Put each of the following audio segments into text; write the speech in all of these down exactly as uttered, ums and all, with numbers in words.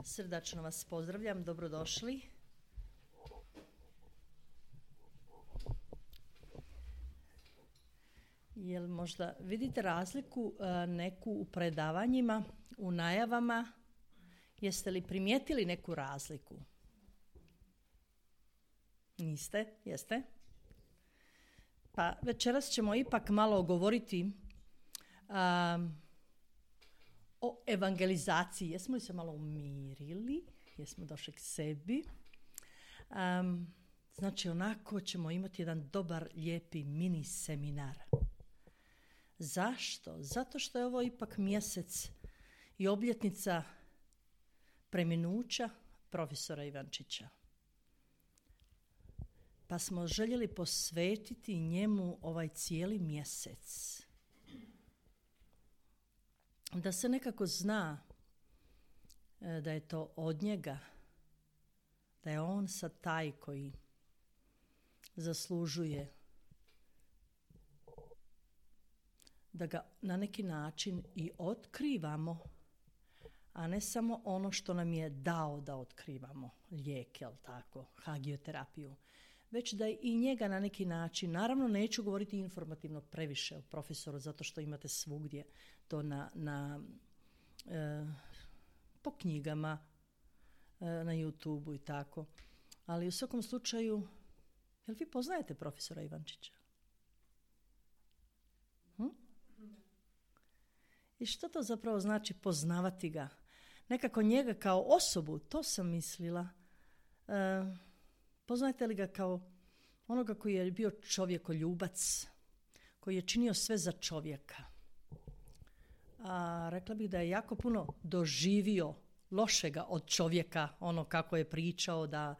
Srdačno vas pozdravljam, dobrodošli. Jel možda vidite razliku neku u predavanjima, u najavama? Jeste li primijetili neku razliku? Niste? Jeste? Pa večeras ćemo ipak malo govoriti um, o evangelizaciji. Jesmo li se malo umirili? Jesmo došli k sebi? Um, znači onako ćemo imati jedan dobar, lijepi mini seminar. Zašto? Zato što je ovo ipak mjesec i obljetnica preminuća profesora Ivančića. Pa smo željeli posvetiti njemu ovaj cijeli mjesec. Da se nekako zna da je to od njega, da je on sad taj koji zaslužuje da ga na neki način i otkrivamo, a ne samo ono što nam je dao da otkrivamo, lijek, jel tako, hagioterapiju, već da i njega na neki način, naravno neću govoriti informativno previše o profesoru, zato što imate svugdje to na, na e, po knjigama, e, na YouTubeu i tako, ali u svakom slučaju, jel vi poznajete profesora Ivančića? Hm? I što to zapravo znači poznavati ga? Nekako njega kao osobu, to sam mislila. E, poznajete li ga kao onoga koji je bio čovjekoljubac, koji je činio sve za čovjeka? A rekla bih da je jako puno doživio lošega od čovjeka, ono kako je pričao da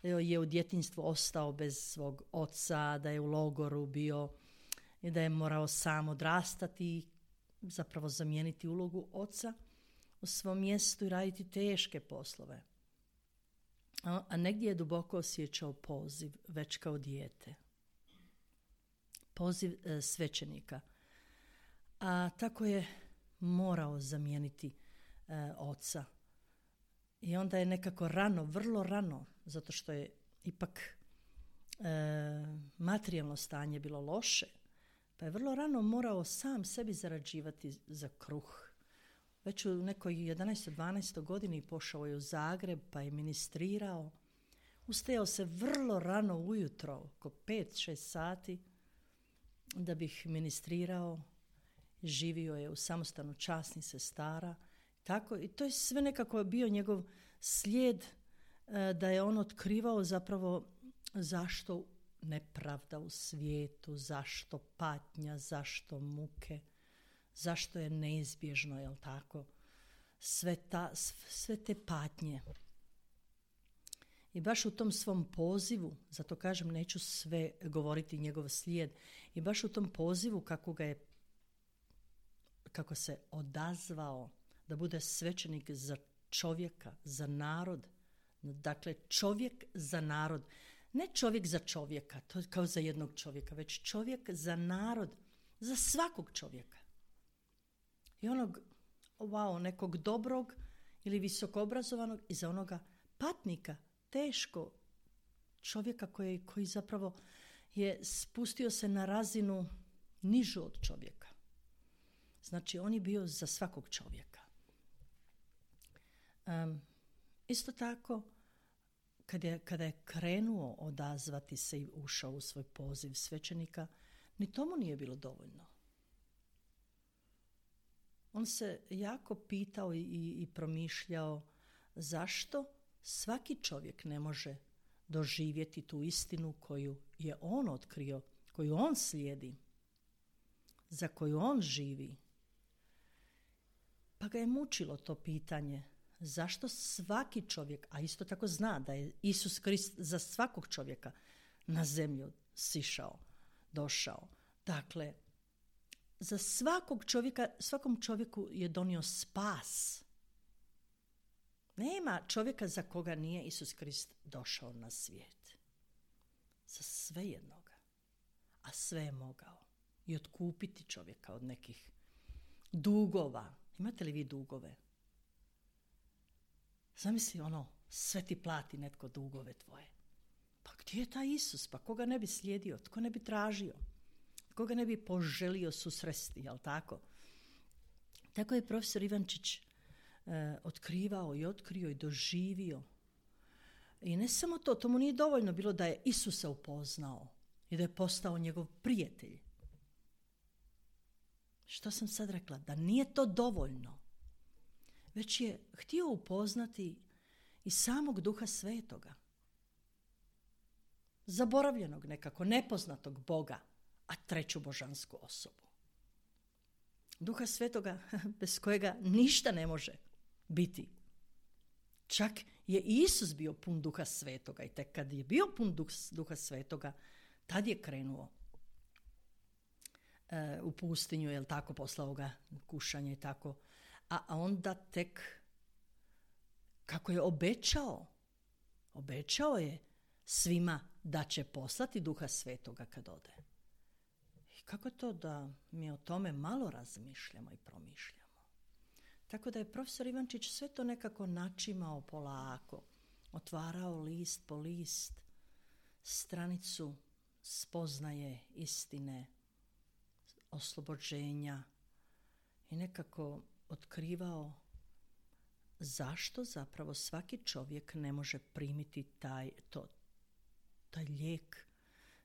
je u djetinjstvu ostao bez svog oca, da je u logoru bio i da je morao sam odrastati, zapravo zamijeniti ulogu oca u svom mjestu i raditi teške poslove. A, a negdje je duboko osjećao poziv, već kao dijete. Poziv e, svećenika. A tako je morao zamijeniti e, oca. I onda je nekako rano, vrlo rano, zato što je ipak e, materijalno stanje bilo loše, pa je vrlo rano morao sam sebi zarađivati za kruh. Već u nekoj jedanaestoj dvanaestoj godini pošao je u Zagreb pa je ministrirao. Ustajao se vrlo rano ujutro, oko pet šest sati, da bih ministrirao. Živio je u samostanu časnih sestara. Tako, i to je sve nekako bio njegov slijed da je on otkrivao zapravo zašto nepravda u svijetu, zašto patnja, zašto muke, zašto je neizbježno, jel tako, sve, ta, sve te patnje. I baš u tom svom pozivu, zato kažem neću sve govoriti njegov slijed, i baš u tom pozivu kako ga je, kako se odazvao da bude svećenik za čovjeka, za narod, dakle čovjek za narod. Ne čovjek za čovjeka, to je kao za jednog čovjeka, već čovjek za narod, za svakog čovjeka. I onog, wow, nekog dobrog ili visokoobrazovanog i za onoga patnika, teško čovjeka koji, koji zapravo je spustio se na razinu nižu od čovjeka. Znači, on je bio za svakog čovjeka. Um, isto tako, Kada je, kada je krenuo odazvati se i ušao u svoj poziv svećenika, ni tomu nije bilo dovoljno. On se jako pitao i, i promišljao zašto svaki čovjek ne može doživjeti tu istinu koju je on otkrio, koju on slijedi, za koju on živi. Pa ga je mučilo to pitanje. Zašto svaki čovjek, a isto tako zna da je Isus Krist za svakog čovjeka na zemlju sišao, došao. Dakle, za svakog čovjeka, svakom čovjeku je donio spas. Nema čovjeka za koga nije Isus Krist došao na svijet. Za sve jednoga. A sve je mogao. I otkupiti čovjeka od nekih dugova. Imate li vi dugove? Zamisli ono, sve ti plati netko dugove tvoje. Pa gdje je taj Isus? Pa koga ne bi slijedio? Tko ne bi tražio? Koga ne bi poželio susresti, jel tako? Tako je profesor Ivančić eh, otkrivao i otkrio i doživio. I ne samo to, to mu nije dovoljno bilo da je Isusa upoznao i da je postao njegov prijatelj. Što sam sad rekla? Da nije to dovoljno. Već je htio upoznati i samog Duha Svetoga. Zaboravljenog nekako, nepoznatog Boga, a treću božansku osobu. Duha Svetoga bez kojega ništa ne može biti. Čak je Isus bio pun Duha Svetoga i tek kad je bio pun Duha Svetoga, tad je krenuo e, u pustinju, jel tako, poslao ga kušanje i tako. A, a onda tek, kako je obećao, obećao je svima da će poslati Duha Svetoga kad ode. I kako to da mi o tome malo razmišljamo i promišljamo? Tako da je profesor Ivančić sve to nekako načimao polako, otvarao list po list, stranicu spoznaje, istine, oslobođenja i nekako otkrivao zašto zapravo svaki čovjek ne može primiti taj, to, taj lijek,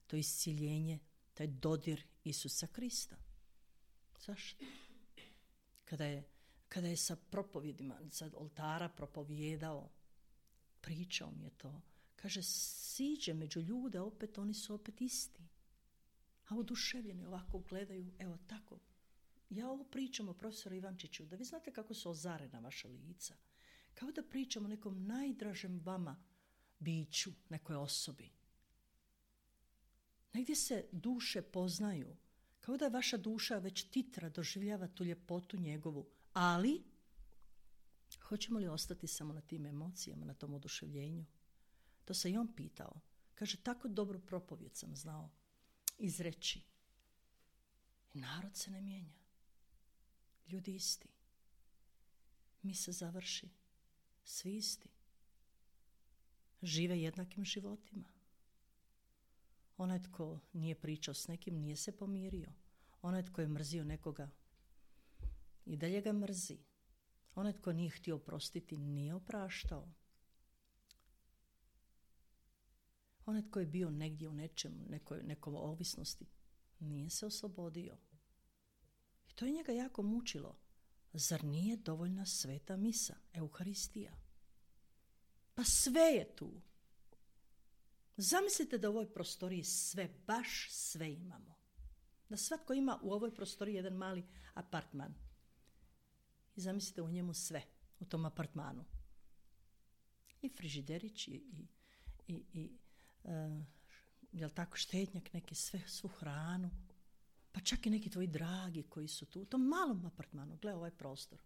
to isciljenje, taj dodir Isusa Krista. Zašto? Kada je, kada je sa propovjedima, sa oltara propovijedao, pričao mi je to, kaže, siđe među ljude, opet oni su opet isti. A oduševljeni ovako gledaju, evo tako. Ja ovo pričam o profesoru Ivančiću, da vi znate kako su ozarena vaša lica. Kao da pričam o nekom najdražem vama biću, nekoj osobi. Negdje se duše poznaju, kao da je vaša duša već titra, doživljava tu ljepotu njegovu. Ali, hoćemo li ostati samo na tim emocijama, na tom oduševljenju? To se i on pitao. Kaže, tako dobru propovijed sam znao izreći. I narod se ne mijenja. Ljudi isti. Mi se završi. Svi isti. Žive jednakim životima. Onaj tko nije pričao s nekim, nije se pomirio. Onaj tko je mrzio nekoga, i dalje ga mrzi. Onaj tko nije htio oprostiti, nije opraštao. Onaj tko je bio negdje u nečemu, nekoj, nekom ovisnosti, nije se oslobodio. I to je njega jako mučilo. Zar nije dovoljna sveta misa, Euharistija? Pa sve je tu. Zamislite da u ovoj prostoriji sve, baš sve imamo. Da svatko ima u ovoj prostoriji jedan mali apartman. I zamislite u njemu sve, u tom apartmanu. I frižiderić, i, i, i, i uh, jel tako, štednjak, neki, sve, svu hranu. Pa čak i neki tvoji dragi koji su tu, u tom malom apartmanu. Gle ovaj prostor.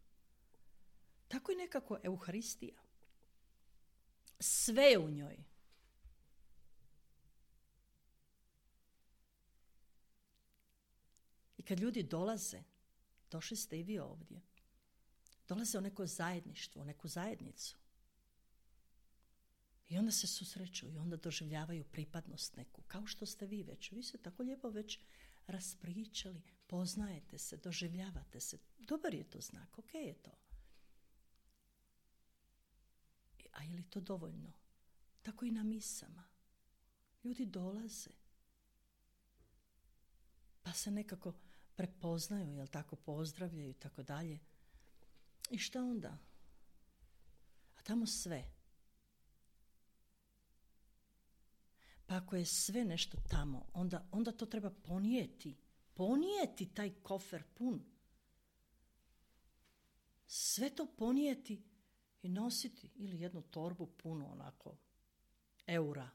Tako je nekako Euharistija. Sve je u njoj. I kad ljudi dolaze, došli ste i vi ovdje, dolaze u neko zajedništvo, u neku zajednicu. I onda se susreću i onda doživljavaju pripadnost neku, kao što ste vi već. Vi ste tako lijepo već raspričali, poznajete se, doživljavate se. Dobar je to znak, ok je to. A je li to dovoljno? Tako i na misama. Ljudi dolaze, pa se nekako prepoznaju, jel tako, pozdravljaju i tako dalje. I šta onda? A tamo sve. Pa ako je sve nešto tamo, onda, onda to treba ponijeti. Ponijeti taj kofer pun. Sve to ponijeti i nositi. Ili jednu torbu punu onako eura.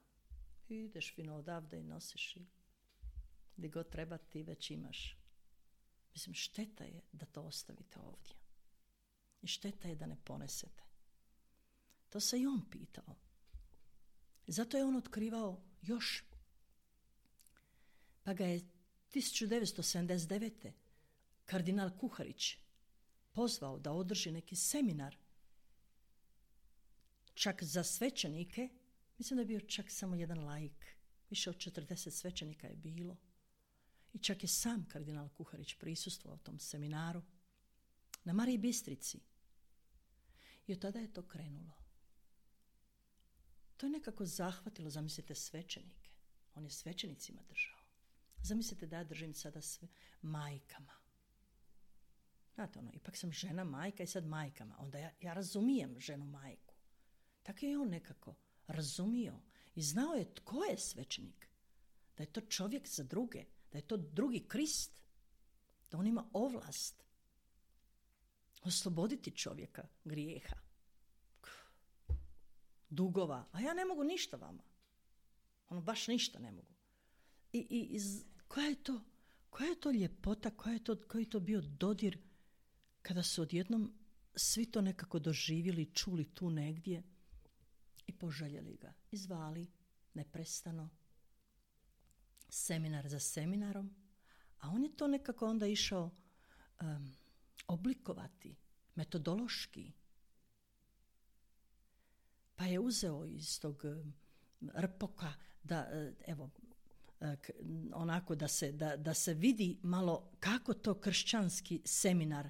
I ideš fino odavde i nosiš i gdje god treba ti već imaš. Mislim, šteta je da to ostavite ovdje. I šteta je da ne ponesete. To se i on pitao. Zato je on otkrivao još. Pa ga je tisuću devetsto sedamdeset devete. kardinal Kuharić pozvao da održi neki seminar čak za svećenike, mislim da je bio čak samo jedan laik. Više od četrdeset svećenika je bilo. I čak je sam kardinal Kuharić prisustvovao tom seminaru na Mariji Bistrici. I od tada je to krenulo. To je nekako zahvatilo, zamislite, svećenike. On je svećenicima držao. Zamislite da ja držim sada sve majkama. Znate, ono, ipak sam žena, majka i sad majkama. Onda ja, ja razumijem ženu majku. Tako je on nekako razumio i znao je tko je svećenik. Da je to čovjek za druge, da je to drugi Krist, da on ima ovlast osloboditi čovjeka grijeha, dugova. A ja ne mogu ništa vama. Ono, baš ništa ne mogu. I, i iz, koja je to, koja je to ljepota, koja je to, koji je to bio dodir kada su odjednom svi to nekako doživjeli, čuli tu negdje i poželjeli ga. I zvali neprestano, seminar za seminarom, a on je to nekako onda išao um, oblikovati metodološki. Pa je uzeo iz tog um, rpoka da, uh, evo, uh, k, onako da se, da, da se vidi malo kako to kršćanski seminar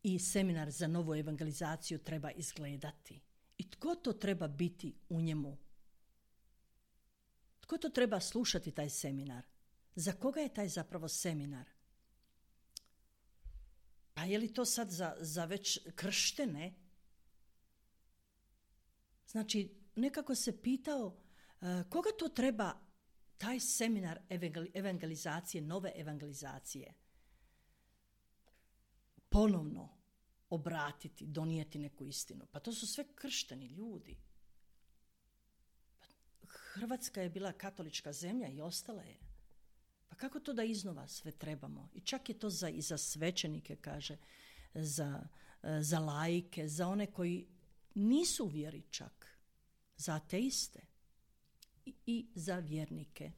i seminar za novu evangelizaciju treba izgledati. I tko to treba biti u njemu? Tko to treba slušati, taj seminar? Za koga je taj zapravo seminar? Pa je li to sad za, za već krštene? Znači, nekako se pitao uh, koga to treba taj seminar evangelizacije, nove evangelizacije ponovno obratiti, donijeti neku istinu. Pa to su sve kršteni ljudi. Hrvatska je bila katolička zemlja i ostala je. Pa kako to da iznova sve trebamo? I čak je to za, i za svećenike, kaže, za, za laike, za one koji nisu u vjeri čak, za ateiste i, i za vjernike.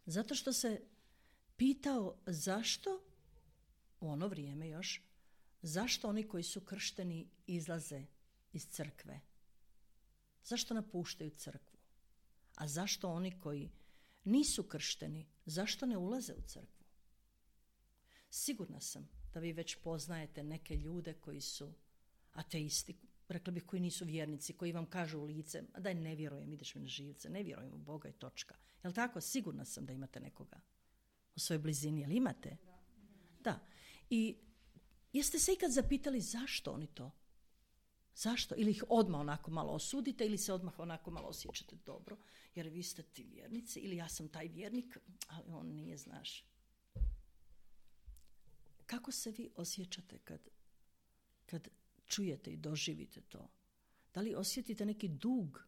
Zato što se pitao zašto, u ono vrijeme još, zašto oni koji su kršteni izlaze iz crkve? Zašto napuštaju crkvu? A zašto oni koji nisu kršteni, zašto ne ulaze u crkvu? Sigurna sam da vi već poznajete neke ljude koji su ateisti, rekla bih koji nisu vjernici, koji vam kažu u lice, daj ne vjerujem, ideš mi na živce, ne vjerujem u Boga i točka. Jel tako? Sigurna sam da imate nekoga u svojoj blizini. Jel imate? Da. Da. I jeste se ikad zapitali zašto oni to? Zašto? Ili ih odmah onako malo osudite ili se odmah onako malo osjećate dobro, jer vi ste ti vjernici ili ja sam taj vjernik, ali on nije, znaš. Kako se vi osjećate kad, kad čujete i doživite to? Da li osjetite neki dug,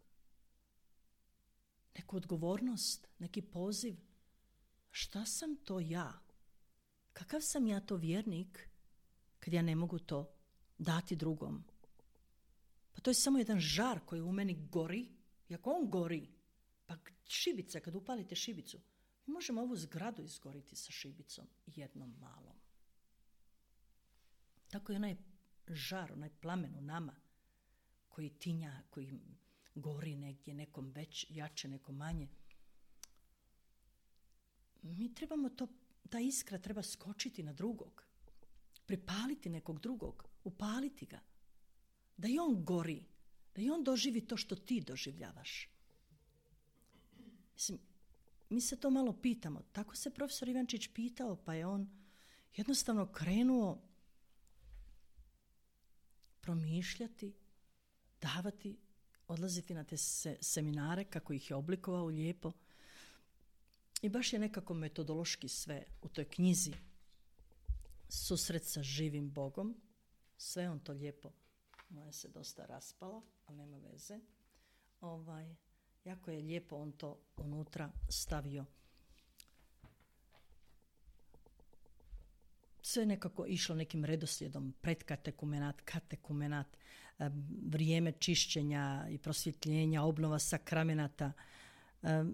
neku odgovornost, neki poziv? Šta sam to ja? Kakav sam ja to vjernik kad ja ne mogu to dati drugom? Pa to je samo jedan žar koji u meni gori. I ako on gori, pa šibica, kad upalite šibicu, mi možemo ovu zgradu izgoriti sa šibicom jednom malom. Tako je onaj žar, onaj plamen u nama koji tinja, koji gori negdje, nekom već jače, nekom manje. Mi trebamo to, ta iskra treba skočiti na drugog, pripaliti nekog drugog, upaliti ga. Da i on gori, da i on doživi to što ti doživljavaš. Mislim, mi se to malo pitamo. Tako se profesor Ivančić pitao, pa je on jednostavno krenuo promišljati, davati, odlaziti na te se, seminare, kako ih je oblikovao lijepo. I baš je nekako metodološki sve u toj knjizi Susret sa živim Bogom. Sve on to lijepo, moja se dosta raspala, ali nema veze. Ovaj, jako je lijepo on to unutra stavio. Sve je nekako išlo nekim redoslijedom, predkatekumenat, katekumenat, vrijeme čišćenja i prosvjetljenja, obnova sakramenata.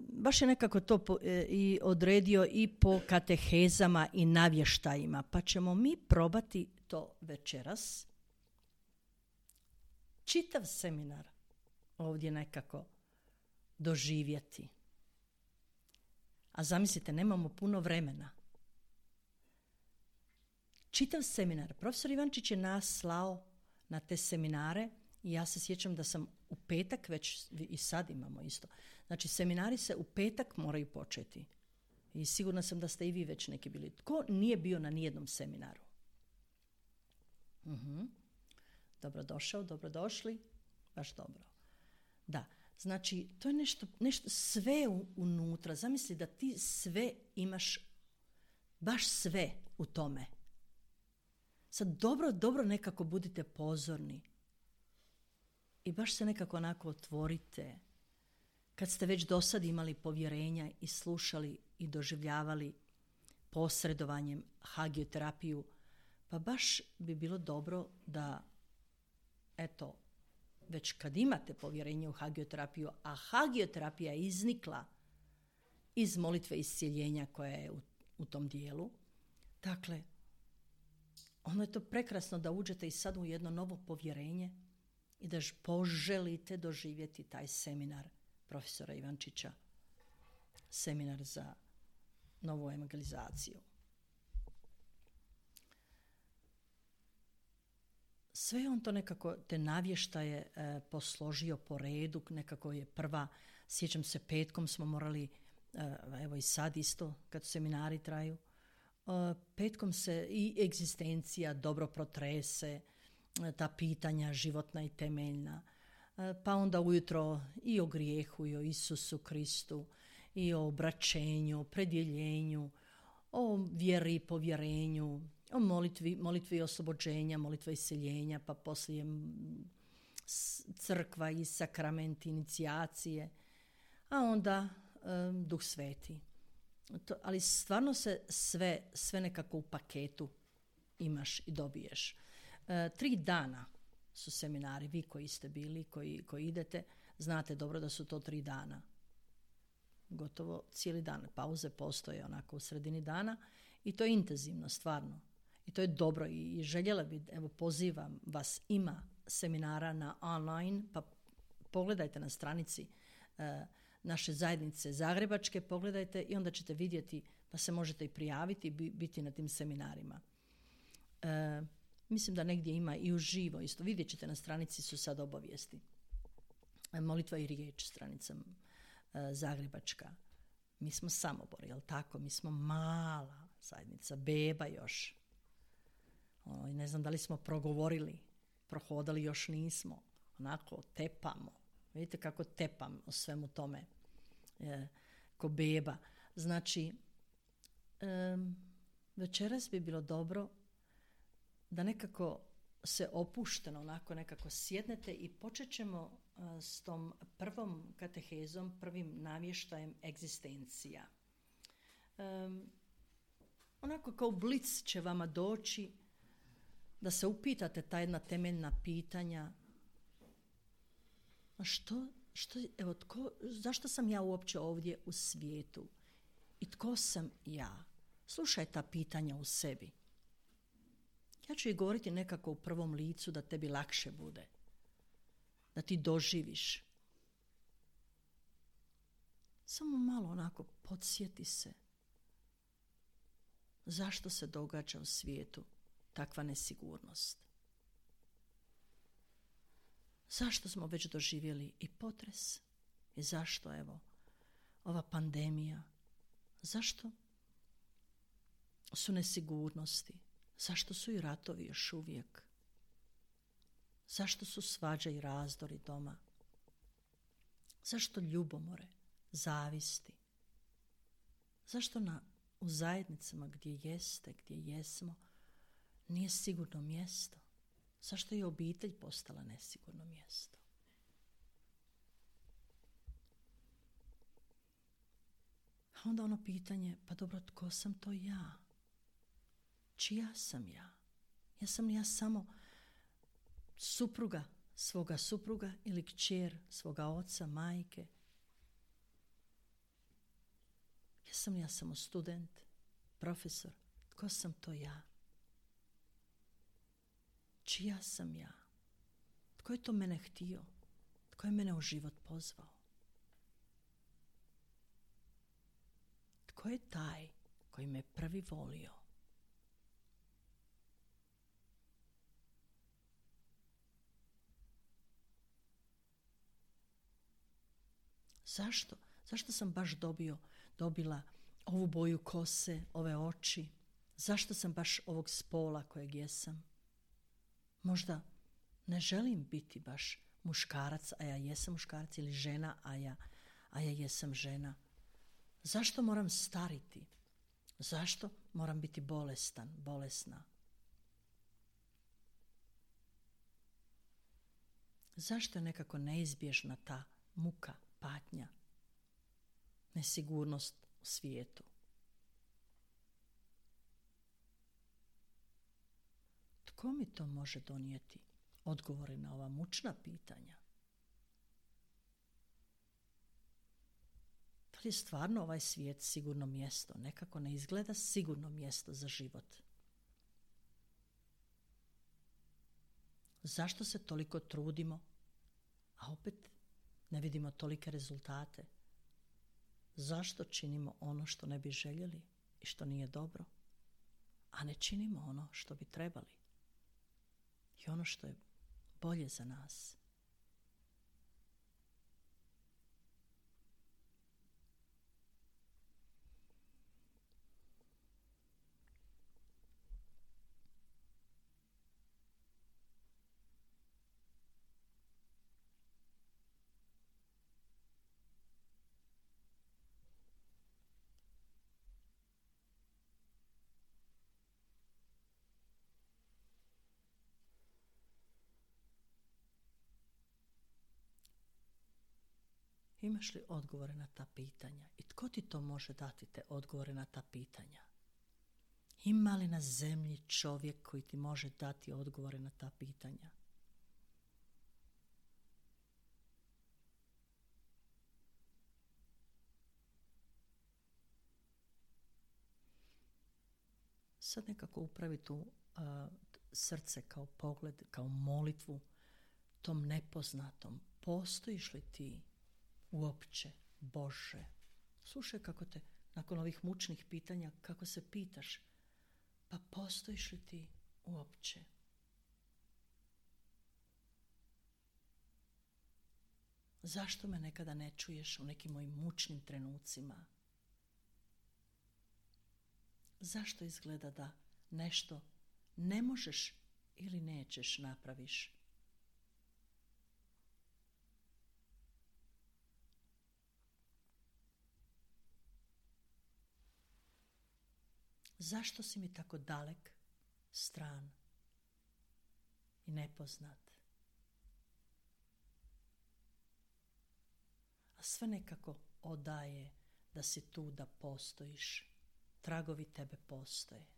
Baš je nekako to po, i odredio i po katehezama i navještajima. Pa ćemo mi probati to večeras. čitav seminar ovdje nekako doživjeti. A zamislite, nemamo puno vremena. Čitav seminar. Profesor Ivančić je nas slao na te seminare i ja se sjećam da sam u petak, već i sad imamo isto. Znači, seminari se u petak moraju početi. I sigurna sam da ste i vi već neki bili. Tko nije bio na nijednom seminaru? Uh-huh. Dobrodošao, dobrodošli. Baš dobro. Da, znači, to je nešto, nešto sve u, unutra. Zamisli da ti sve imaš, baš sve u tome. Sad dobro, dobro nekako budite pozorni. I baš se nekako onako otvorite. Kad ste već do sad imali povjerenja i slušali i doživljavali posredovanjem hagioterapiju, pa baš bi bilo dobro da, eto, već kad imate povjerenje u hagioterapiju, a hagioterapija je iznikla iz molitve iscijeljenja koja je u, u tom dijelu, dakle, ono je to prekrasno da uđete i sad u jedno novo povjerenje i da poželite doživjeti taj seminar profesora Ivančića, seminar za novu evangelizaciju. Sve on to nekako, te navještaje e, posložio po redu, nekako je prva, sjećam se, petkom smo morali, e, evo i sad isto, kad seminari traju, e, petkom se i egzistencija dobro protrese, e, ta pitanja životna i temeljna, e, pa onda ujutro i o grijehu, i o Isusu Kristu, i o obraćenju, predjeljenju, o vjeri i povjerenju, o molitvi, molitvi oslobođenja, molitva iseljenja, pa poslije crkva i sakramenti inicijacije, a onda um, Duh Sveti. To, ali stvarno se sve, sve nekako u paketu imaš i dobiješ. E, tri dana su seminari, vi koji ste bili, koji, koji idete, znate dobro da su to tri dana. Gotovo cijeli dan. Pauze postoje onako u sredini dana i to je intenzivno, stvarno. I to je dobro i željela bi, evo pozivam vas, ima seminara na online, pa pogledajte na stranici e, naše zajednice zagrebačke, pogledajte i onda ćete vidjeti, pa se možete i prijaviti i biti na tim seminarima. E, mislim da negdje ima i uživo isto, vidjet ćete na stranici su sad obavijesti. E, molitva i riječ, stranica e, zagrebačka. Mi smo Samobor, jel tako? Mi smo mala zajednica, beba još. O, ne znam da li smo progovorili, prohodali još nismo, onako tepamo. Vidite kako tepam o svemu tome, e, ko beba. Znači, e, večeras bi bilo dobro da nekako se opušteno, onako nekako sjednete i počet ćemo e, s tom prvom katehezom, prvim navještajem egzistencija. E, onako kao blic će vama doći da se upitate ta jedna temeljna pitanja. A što, što, evo, tko, zašto sam ja uopće ovdje u svijetu? I tko sam ja? Slušaj ta pitanja u sebi. Ja ću ih govoriti nekako u prvom licu da tebi lakše bude. Da ti doživiš. Samo malo onako podsjeti se. Zašto se događa u svijetu takva nesigurnost? Zašto smo već doživjeli i potres? I zašto, evo, ova pandemija? Zašto su nesigurnosti? Zašto su i ratovi još uvijek? Zašto su svađa i razdori doma? Zašto ljubomore, zavisti? Zašto na, u zajednicama gdje jeste, gdje jesmo, nije sigurno mjesto? Zašto je obitelj postala nesigurno mjesto? A onda ono pitanje, pa dobro, tko sam to ja? Čija sam ja? Ja sam ja samo supruga svoga supruga ili kćer svoga oca, majke? Jesam ja samo student, profesor? Tko sam to ja? Čija sam ja? Tko je to mene htio? Tko je mene u život pozvao? Tko je taj koji me prvi volio? Zašto? Zašto sam baš dobio, dobila ovu boju kose, ove oči? Zašto sam baš ovog spola kojeg jesam? Možda ne želim biti baš muškarac, a ja jesam muškarac, ili žena, a ja, a ja jesam žena. Zašto moram stariti? Zašto moram biti bolestan, bolesna? Zašto je nekako neizbježna ta muka, patnja, nesigurnost u svijetu? Tko mi to može donijeti odgovore na ova mučna pitanja? Da li je stvarno ovaj svijet sigurno mjesto? Nekako ne izgleda sigurno mjesto za život. Zašto se toliko trudimo, a opet ne vidimo tolike rezultate? Zašto činimo ono što ne bi željeli i što nije dobro, a ne činimo ono što bi trebali i ono što je bolje za nas? Imaš li odgovore na ta pitanja? I tko ti to može dati te odgovore na ta pitanja? Ima li na zemlji čovjek koji ti može dati odgovore na ta pitanja? Sad nekako upravi tu uh, srce kao pogled, kao molitvu tom nepoznatom. Postojiš li ti uopće, Bože? Slušaj kako te, nakon ovih mučnih pitanja, kako se pitaš, pa postojiš li ti uopće? Zašto me nekada ne čuješ u nekim mojim mučnim trenucima? Zašto izgleda da nešto ne možeš ili nećeš napraviš? Zašto si mi tako dalek, stran i nepoznat? A sve nekako odaje da si tu, da postojiš. Tragovi tebe postoje.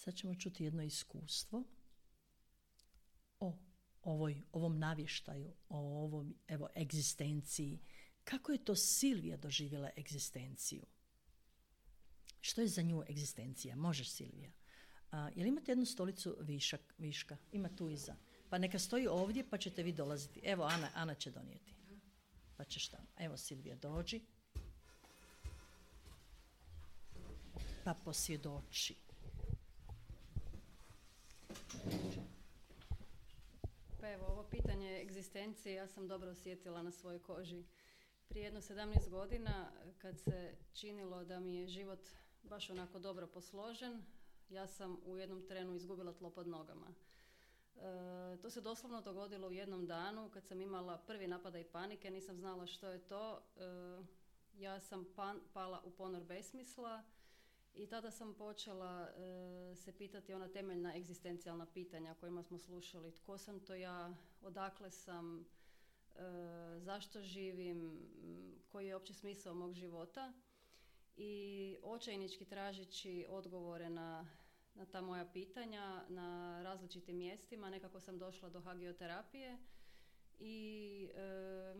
Sad ćemo čuti jedno iskustvo o ovoj, ovom navještaju, o ovom, evo, egzistenciji. Kako je to Silvija doživjela egzistenciju? Što je za nju egzistencija? Možeš, Silvija. A, jel imate jednu stolicu višak, viška? Ima tu iza. Pa neka stoji ovdje pa ćete vi dolaziti. Evo, Ana, Ana će donijeti. Pa ćeš tamo. Evo, Silvija, dođi. Pa posvjedoči. Pa evo, ovo pitanje egzistencije ja sam dobro osjetila na svojoj koži. Prije jedno sedamnaest godina, kad se činilo da mi je život baš onako dobro posložen, ja sam u jednom trenu izgubila tlo pod nogama. E, to se doslovno dogodilo u jednom danu kad sam imala prvi napadaj panike, nisam znala što je to. E, ja sam pan, pala u ponor besmisla I tada sam počela e, se pitati ona temeljna egzistencijalna pitanja o kojima smo slušali. Tko sam to ja, odakle sam, e, zašto živim, koji je uopće smisao mog života. I očajnički tražeći odgovore na, na ta moja pitanja na različitim mjestima, nekako sam došla do hagioterapije i e,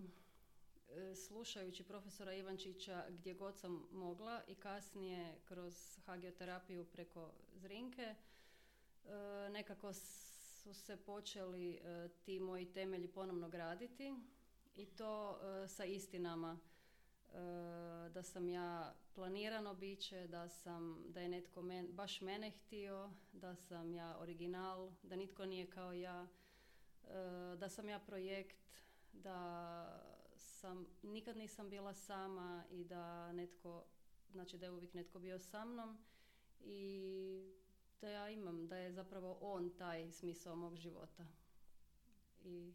slušajući profesora Ivančića gdje god sam mogla i kasnije kroz hagioterapiju preko Zrinke, nekako su se počeli ti moji temelji ponovno graditi i to sa istinama da sam ja planirano biće, da sam, da je netko men, baš mene htio, da sam ja original, da nitko nije kao ja, da sam ja projekt, da sam, nikad nisam bila sama i da netko, znači da je uvijek netko bio sa mnom i da ja imam, da je zapravo on taj smisao mog života. I,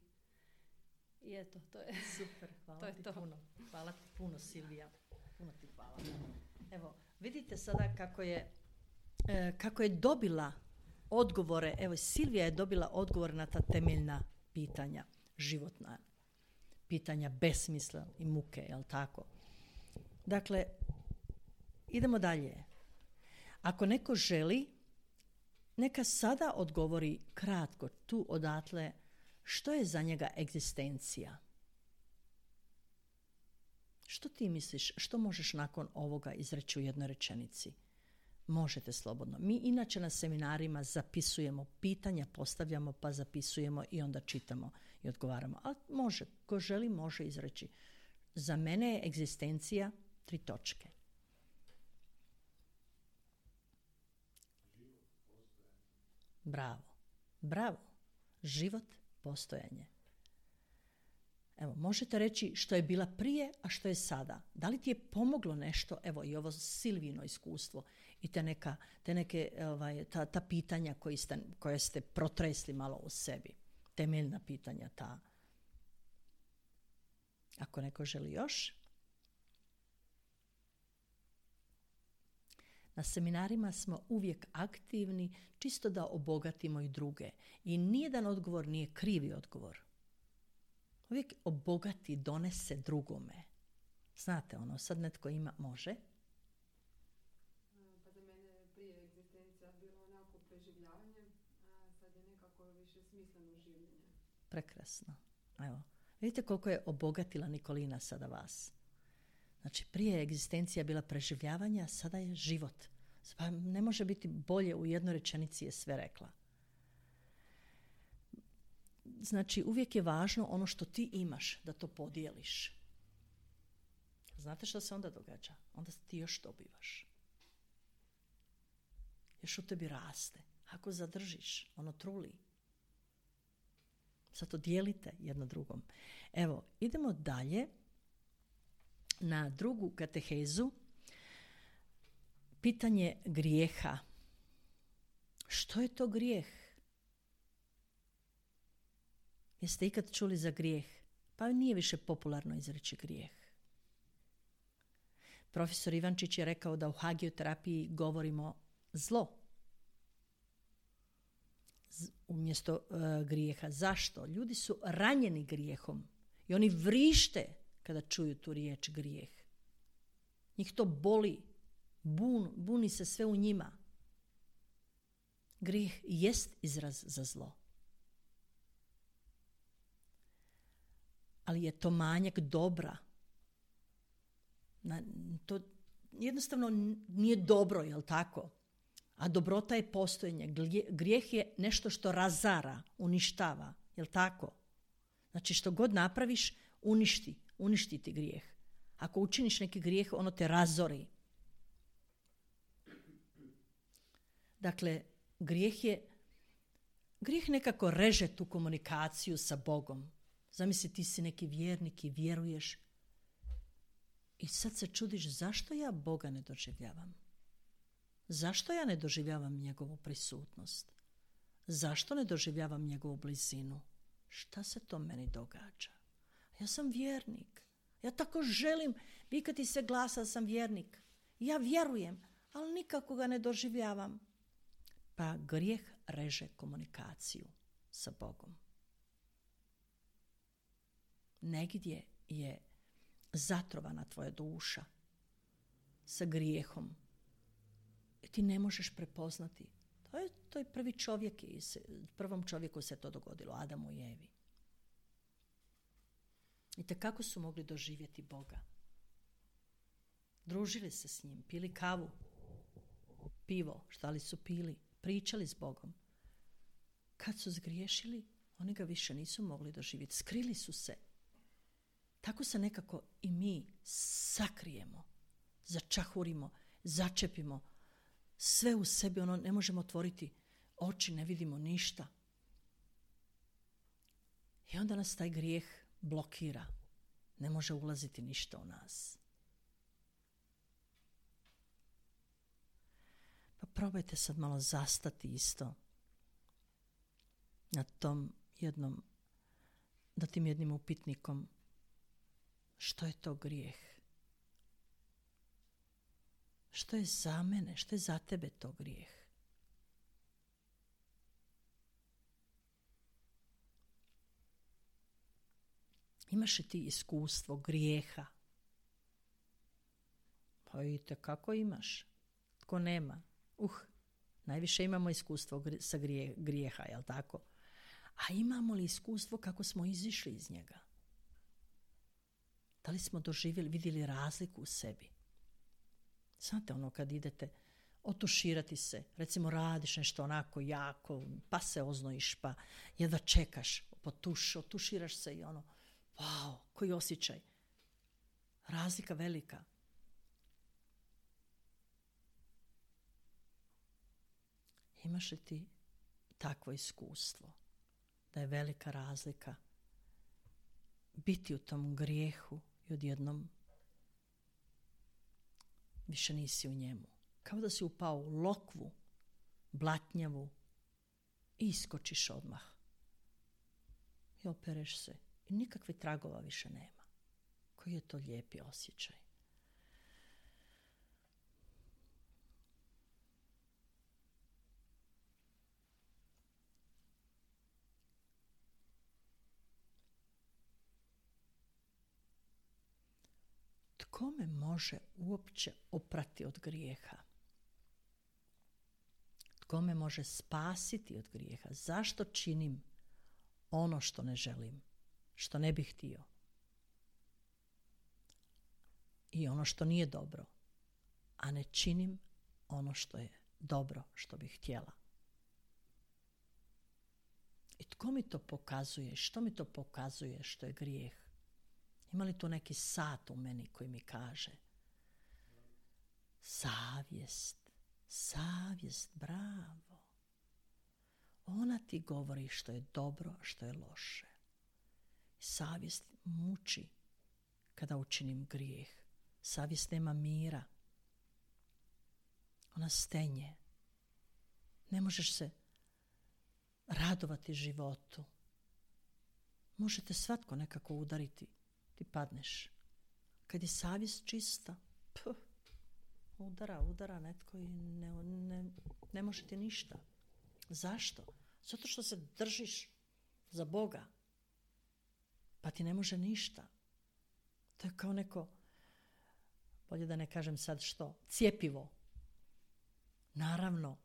i eto, to je super, hvala to je ti to. puno. Hvala ti puno, Silvija. Puno ti hvala. Evo, vidite sada kako je, e, kako je dobila odgovore, evo Silvija je dobila odgovor na ta temeljna pitanja, životna pitanja besmisla i muke, jel tako? Dakle, idemo dalje. Ako neko želi, neka sada odgovori kratko tu odatle što je za njega egzistencija. Što ti misliš, što možeš nakon ovoga izreći u jednoj rečenici? Možete slobodno. Mi inače na seminarima zapisujemo pitanja, postavljamo pa zapisujemo i onda čitamo i odgovaramo. Ali može, ko želi može izreći. Za mene je egzistencija tri točke. Bravo. Bravo. Život, postojanje. Evo, možete reći što je bila prije, a što je sada. Da li ti je pomoglo nešto, evo i ovo Silvino iskustvo i te neka, te neke, ovaj, ta, ta pitanja koji ste, koje ste protresli malo u sebi. Temeljna pitanja ta. Ako neko želi još. Na seminarima smo uvijek aktivni, čisto da obogatimo i druge. I nijedan odgovor nije krivi odgovor. Uvijek obogati, donese drugome. Znate, ono, sad netko ima, može. Pa za mene je prije egzistencija bilo onako preživljavanje, a sad je nekako više smisleno življenje. Prekrasno. Evo, vidite koliko je obogatila Nikolina sada vas. Znači, prije je egzistencija bila preživljavanja, sada je život. Pa ne može biti bolje, u jednoj rečenici je sve rekla. Znači, uvijek je važno ono što ti imaš, da to podijeliš. Znate što se onda događa? Onda ti još dobivaš. Još u tebi raste. Ako zadržiš, ono truli. Zato dijelite jedno drugom. Evo, idemo dalje na drugu katehezu. Pitanje grijeha. Što je to grijeh? Jeste ikad čuli za grijeh? Pa nije više popularno izreći grijeh. Profesor Ivančić je rekao da u hagioterapiji govorimo zlo Z- umjesto uh, grijeha. Zašto? Ljudi su ranjeni grijehom i oni vrište kada čuju tu riječ grijeh. Njih to boli, bun, buni se sve u njima. Grijeh jest izraz za zlo. Ali je to manjak dobra. Na, to jednostavno nije dobro, jel tako? A dobrota je postojanje. Grijeh je nešto što razara, uništava, jel tako? Znači što god napraviš, uništi, uništi ti grijeh. Ako učiniš neki grijeh, ono te razori. Dakle, grijeh je, grijeh nekako reže tu komunikaciju sa Bogom. Zamisli, ti si neki vjernik i vjeruješ i sad se čudiš zašto ja Boga ne doživljavam? Zašto ja ne doživljavam njegovu prisutnost? Zašto ne doživljavam njegovu blizinu? Šta se to meni događa? Ja sam vjernik. Ja tako želim vikati se glasa da sam vjernik. Ja vjerujem, ali nikako ga ne doživljavam. Pa grijeh reže komunikaciju sa Bogom. Negdje je zatrovana tvoja duša sa grijehom. I ti ne možeš prepoznati. To je, to je prvi čovjek, i se, prvom čovjeku se to dogodilo, Adamu i Evi. I kako su mogli doživjeti Boga? Družili se s njim, pili kavu, pivo, šta li su pili, pričali s Bogom. Kad su zgriješili, oni ga više nisu mogli doživjeti. Skrili su se. Tako se nekako i mi sakrijemo, začahurimo, začepimo. Sve u sebi, ono, ne možemo otvoriti oči, ne vidimo ništa. I onda nas taj grijeh blokira. Ne može ulaziti ništa u nas. Pa probajte sad malo zastati isto na tom jednom, da tim jednim upitnikom. Što je to grijeh? Što je za mene, što je za tebe to grijeh? Imaš li ti iskustvo grijeha? Pa vidite kako imaš. Tko nema? Uh, najviše imamo iskustvo sa grije, grijeha, jel tako? A imamo li iskustvo kako smo izišli iz njega? Da li smo doživjeli, vidjeli razliku u sebi? Znate, ono kad idete otuširati se, recimo radiš nešto onako jako, pa se oznojiš, pa jedva čekaš, potuš, otuširaš se i ono, wow, koji osjećaj. Razlika velika. Imaš li ti takvo iskustvo da je velika razlika biti u tom grijehu i odjednom više nisi u njemu. Kao da si upao u lokvu, blatnjavu i iskočiš odmah. I opereš se. I nikakve tragova više nema. Koji je to lijepi osjećaj. Tko me može uopće oprati od grijeha? Tko me može spasiti od grijeha? Zašto činim ono što ne želim, što ne bih htio? I ono što nije dobro, a ne činim ono što je dobro, što bih htjela. I tko mi to pokazuje? Što mi to pokazuje što je grijeh? Ima li tu neki sat u meni koji mi kaže? Savjest, savjest, bravo. Ona ti govori što je dobro, a što je loše. Savjest muči kada učinim grijeh. Savjest nema mira. Ona stenje. Ne možeš se radovati životu. Možete svatko nekako udariti. Ti padneš. Kad je savjest čista, puh, udara, udara netko i ne, ne, ne može ti ništa. Zašto? Zato što se držiš za Boga. Pa ti ne može ništa. To je kao neko, bolje da ne kažem sad što, cjepivo. Naravno.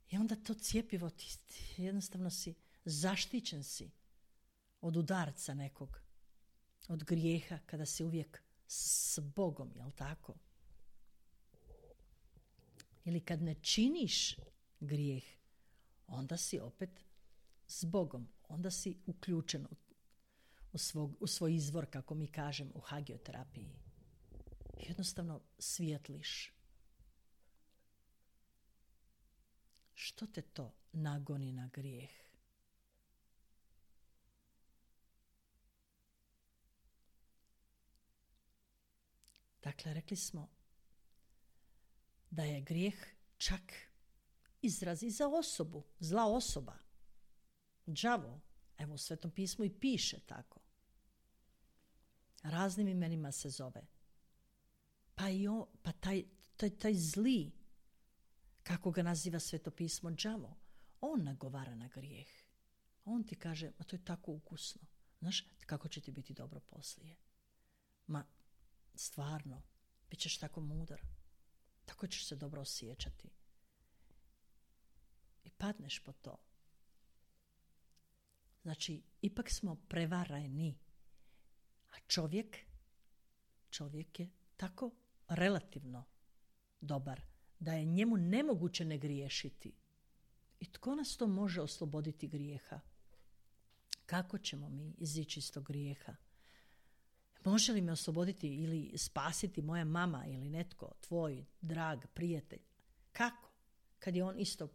I onda to cjepivo, ti, ti jednostavno si, zaštićen si od udarca nekog. Od grijeha, kada si uvijek s Bogom, jel tako? Ili kad ne činiš grijeh, onda si opet s Bogom. Onda si uključen u, u, svog, u svoj izvor, kako mi kažem, u hagioterapiji. Jednostavno svijetliš. Što te to nagoni na grijeh? Dakle, rekli smo da je grijeh čak izraz i za osobu, zla osoba. Đavo, evo u Svetom pismu i piše tako. Raznim imenima se zove. Pa, i on, pa taj, taj, taj zli Kako ga naziva Sveto pismo? Đavo. On nagovara na grijeh. On ti kaže, ma to je tako ukusno. Znaš, kako će ti biti dobro poslije? Ma, stvarno, bit ćeš tako mudar. Tako ćeš se dobro osjećati. I padneš po to. Znači, ipak smo prevareni. A čovjek, čovjek je tako relativno dobar da je njemu nemoguće ne griješiti. I tko nas to može osloboditi grijeha? Kako ćemo mi izići iz tog grijeha? Može li me osloboditi ili spasiti moja mama ili netko, tvoj drag prijatelj? Kako? Kad je on isto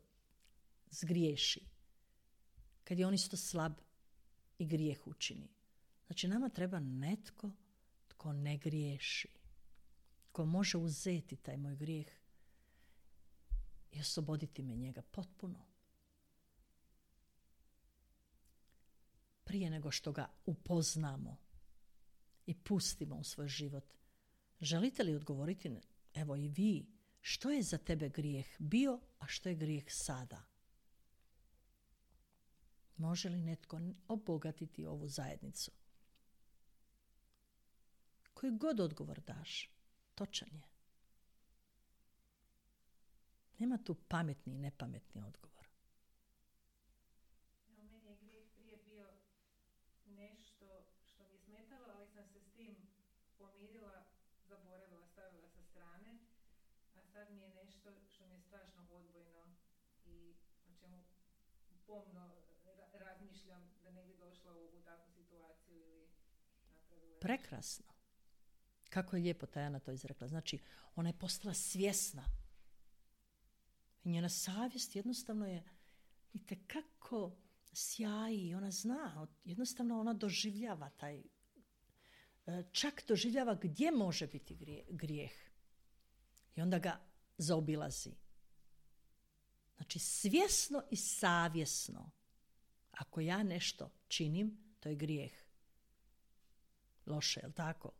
zgriješi. Kad je on isto slab i grijeh učini. Znači nama treba netko tko ne griješi. Ko može uzeti taj moj grijeh i osloboditi me njega potpuno. Prije nego što ga upoznamo i pustimo u svoj život. Želite li odgovoriti, evo i vi, što je za tebe grijeh bio, a što je grijeh sada? Može li netko obogatiti ovu zajednicu? Koji god odgovor daš, točan je. Nema tu pametni i nepametni odgovor. No, meni je grijeh prije bio nešto što mi je smetalo, ali sam se s tim pomirila, zaboravila, stavila sa strane, a sad mi je nešto što mi je strašno odbojno i o čemu pomno ra- razmišljam da ne bi došla u, u takvu situaciju ili napravila. Prekrasno. Kako je lijepo Tajana to izrekla. Znači, ona je postala svjesna. I njena savjest jednostavno je itekako sjaji. Ona zna, jednostavno ona doživljava taj, čak doživljava gdje može biti grijeh. I onda ga zaobilazi. Znači, svjesno i savjesno. Ako ja nešto činim, to je grijeh. Loše, je li tako?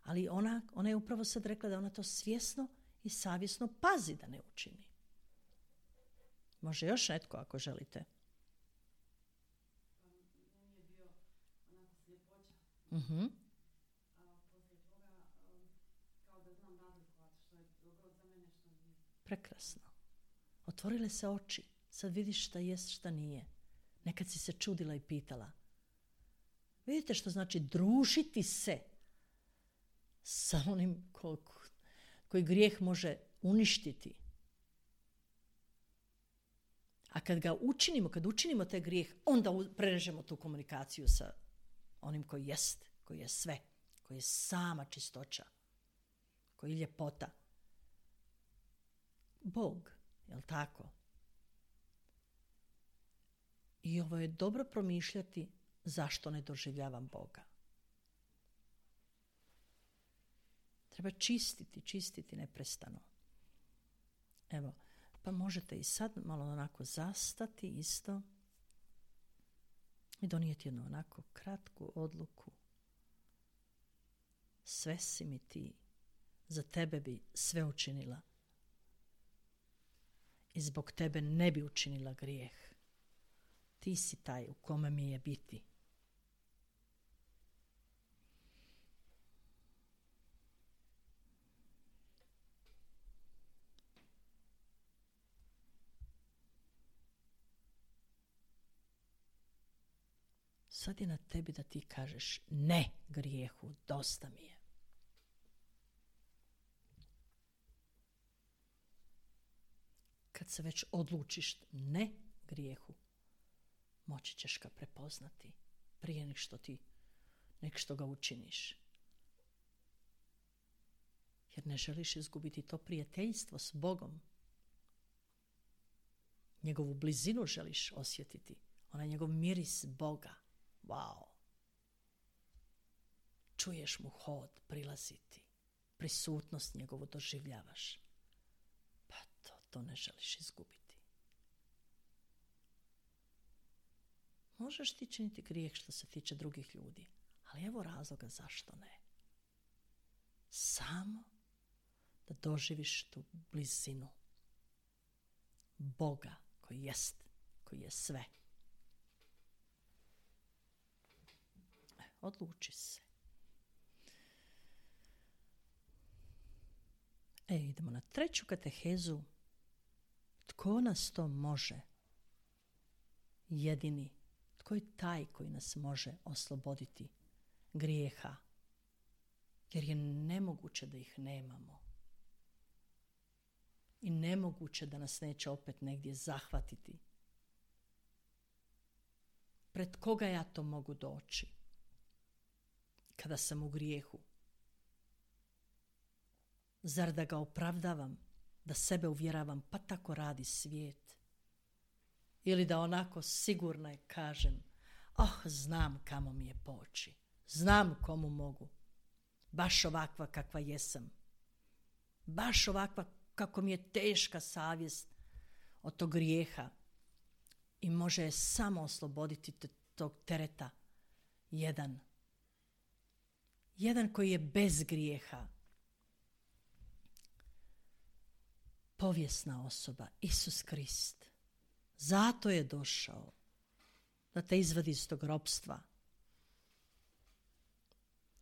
Ali ona, ona je upravo sad rekla da ona to svjesno i savjesno pazi da ne učini. Može još netko ako želite. Meni je bio onako sljepoća. Uh-huh. A poslije toga um, kao da znam razlikovati što je dobro za mene, što nije. Prekrasno. Otvorile se oči. Sad vidiš šta jest, šta nije. Nekad si se čudila i pitala. Vidite što znači družiti se sa onim ko, koji grijeh može uništiti. A kad ga učinimo, kad učinimo taj grijeh, onda prerežemo tu komunikaciju sa onim koji jest, koji je sve, koji je sama čistoća, koji je ljepota. Bog, jel tako? I ovo je dobro promišljati zašto ne doživljavam Boga. Treba čistiti, čistiti neprestano. Evo, pa možete i sad malo onako zastati isto i donijeti jednu onako kratku odluku. Sve si mi ti, za tebe bi sve učinila. I zbog tebe ne bi učinila grijeh. Ti si taj u kome mi je biti. Sad je na tebi da ti kažeš ne grijehu, dosta mi je. Kad se već odlučiš ne grijehu, moći ćeš ga prepoznati prije nek što ti, nek što ga učiniš. Jer ne želiš izgubiti to prijateljstvo s Bogom. Njegovu blizinu želiš osjetiti. Onaj njegov miris Boga. Wow. Čuješ mu hod prilaziti. Prisutnost njegovu doživljavaš. Pa to, to ne želiš izgubiti. Možeš ti činiti grijeh što se tiče drugih ljudi, ali evo razloga zašto ne. Samo da doživiš tu blizinu. Boga koji jest, koji je sve. Odluči se. E, idemo na treću katehezu. Tko nas to može? Jedini. Tko je taj koji nas može osloboditi grijeha? Jer je nemoguće da ih nemamo. I nemoguće da nas neće opet negdje zahvatiti. Pred koga ja to mogu doći? Kada sam u grijehu. Zar da ga opravdavam, da sebe uvjeravam, pa tako radi svijet? Ili da onako sigurno je kažem, oh, znam kamo mi je poći, znam komu mogu, baš ovakva kakva jesam, baš ovakva kako mi je teška savjest od tog grijeha i može je samo osloboditi t- tog tereta jedan. Jedan koji je bez grijeha. Povijesna osoba, Isus Krist. Zato je došao da te izvadi iz tog ropstva,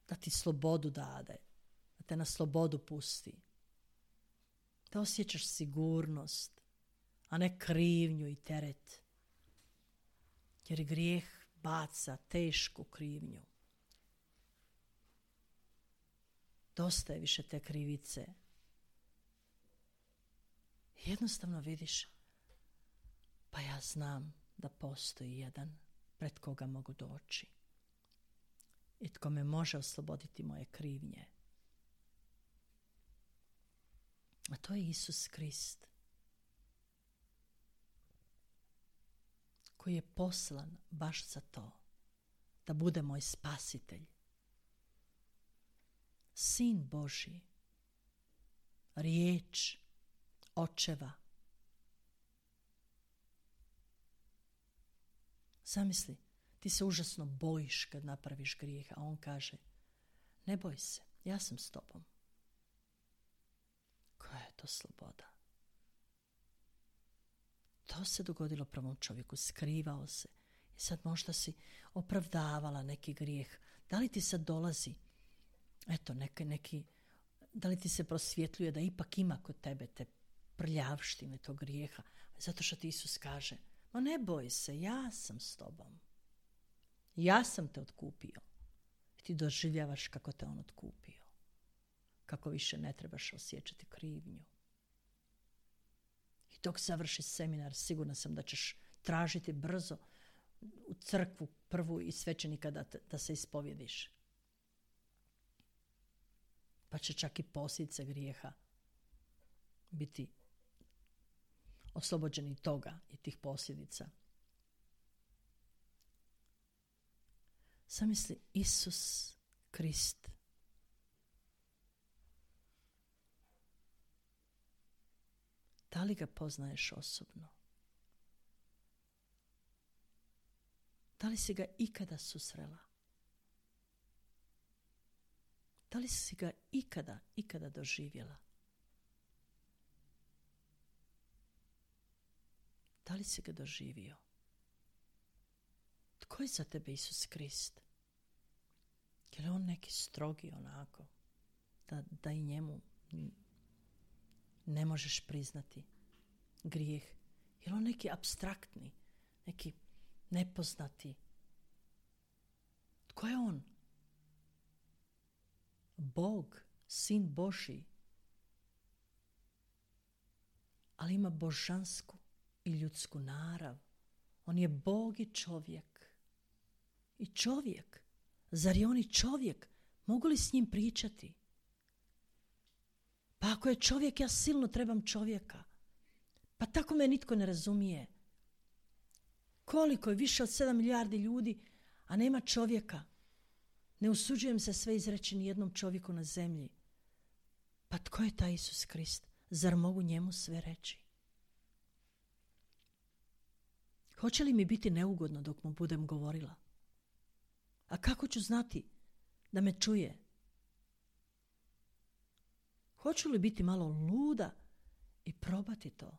da ti slobodu dade, da te na slobodu pusti, da osjećaš sigurnost, a ne krivnju i teret. Jer grijeh baca tešku krivnju. Dosta je više te krivice. Jednostavno vidiš, pa ja znam da postoji jedan pred koga mogu doći i tko me može osloboditi moje krivnje. A to je Isus Krist, koji je poslan baš za to, da bude moj spasitelj. Sin Božji, riječ Očeva. Zamisli, ti se užasno bojiš kad napraviš grijeh, a on kaže, ne boj se, ja sam s tobom. Koja je to sloboda? To se dogodilo prvom čovjeku, skrivao se. I sad možda si opravdavala neki grijeh. Da li ti sad dolazi, eto, neki, neki, da li ti se prosvjetljuje da ipak ima kod tebe te prljavštine tog grijeha? Zato što ti Isus kaže, ma ne boj se, ja sam s tobom. Ja sam te otkupio. I ti doživljavaš kako te on otkupio. Kako više ne trebaš osjećati krivnju. I dok završi seminar, sigurna sam da ćeš tražiti brzo u crkvu prvu i svećenika da, te, da se ispovjediš. Pa će čak i posljedice grijeha biti oslobođeni toga i tih posljedica. Zamisli Isus Krist. Da li ga poznaješ osobno? Da li si ga ikada susrela? Da li si ga ikada, ikada doživjela? Da li si ga doživio? Tko je za tebe Isus Krist? Je li on neki strogi onako? Da, da i njemu ne možeš priznati grijeh? Je li on neki apstraktni? Neki nepoznati? Tko je on? Bog, sin Božji. Ali ima božansku i ljudsku narav. On je Bog i čovjek. I čovjek. Zar je on i čovjek? Mogu li s njim pričati? Pa ako je čovjek, ja silno trebam čovjeka. Pa tako me nitko ne razumije. Koliko je više od sedam milijardi ljudi, a nema čovjeka? Ne usuđujem se sve izreći ni jednom čovjeku na zemlji. Pa tko je taj Isus Krist? Zar mogu njemu sve reći? Hoće li mi biti neugodno dok mu budem govorila? A kako ću znati da me čuje? Hoću li biti malo luda i probati to?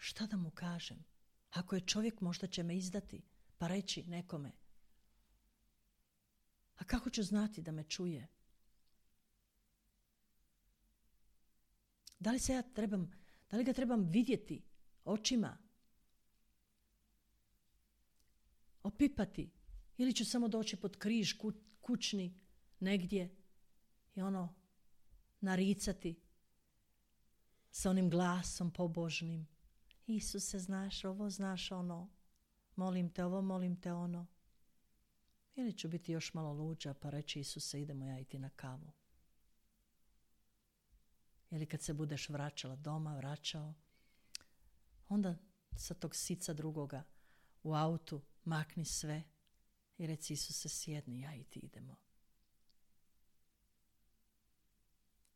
Šta da mu kažem? Ako je čovjek, možda će me izdati, pa reći nekome. A kako ću znati da me čuje? Da li se ja trebam, da li ga trebam vidjeti očima? Opipati? Ili ću samo doći pod križ ku, kućni negdje i ono naricati sa onim glasom pobožnim. Isuse, znaš ovo, znaš ono. Molim te ovo, molim te ono. Ili ću biti još malo luđa pa reći Isuse, idemo ja i ti na kavu. Ili kad se budeš vraćala doma, vraćao, onda sa tog sica drugoga u autu makni sve i reci Isuse, sjedni, ja i ti idemo.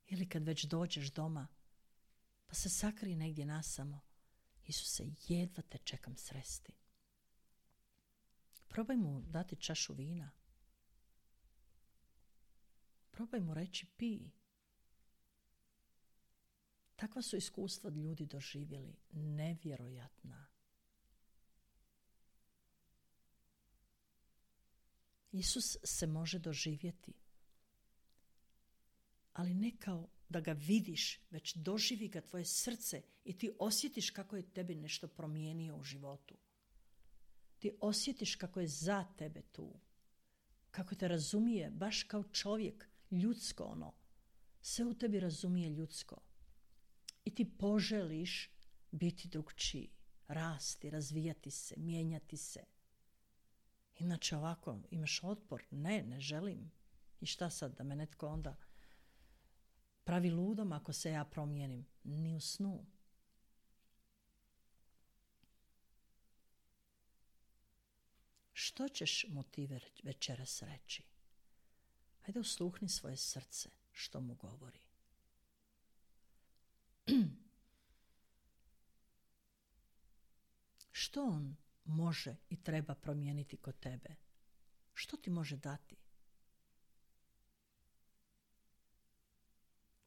Ili kad već dođeš doma, pa se sakri negdje nasamo. Isuse, jedva te čekam sresti. Probaj mu dati čašu vina. Probaj mu reći pij. Takva su iskustva ljudi doživjeli, nevjerojatna. Isus se može doživjeti, ali ne kao da ga vidiš, već doživi ga tvoje srce i ti osjetiš kako je tebi nešto promijenio u životu. Ti osjetiš kako je za tebe tu, kako te razumije, baš kao čovjek, ljudsko ono. Sve u tebi razumije ljudsko. I ti poželiš biti drugčiji, rasti, razvijati se, mijenjati se. Inače ovako, imaš otpor, ne, ne želim. I šta sad, da me netko onda pravi ludom ako se ja promijenim? Ni u snu. Što ćeš mu ti večeras reći? Hajde usluhni svoje srce što mu govori. Što on može i treba promijeniti kod tebe? Što ti može dati?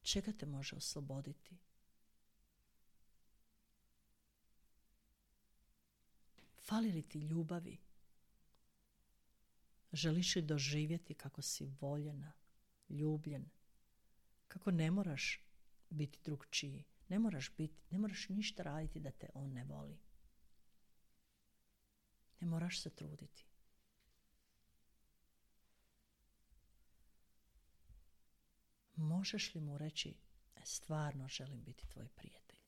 Čega te može osloboditi? Fali li ti ljubavi? Želiš li doživjeti kako si voljena, ljubljen, kako ne moraš biti drugčiji, ne moraš biti, ne moraš ništa raditi da te on ne voli. Ne moraš se truditi. Možeš li mu reći, e, stvarno želim biti tvoj prijatelj.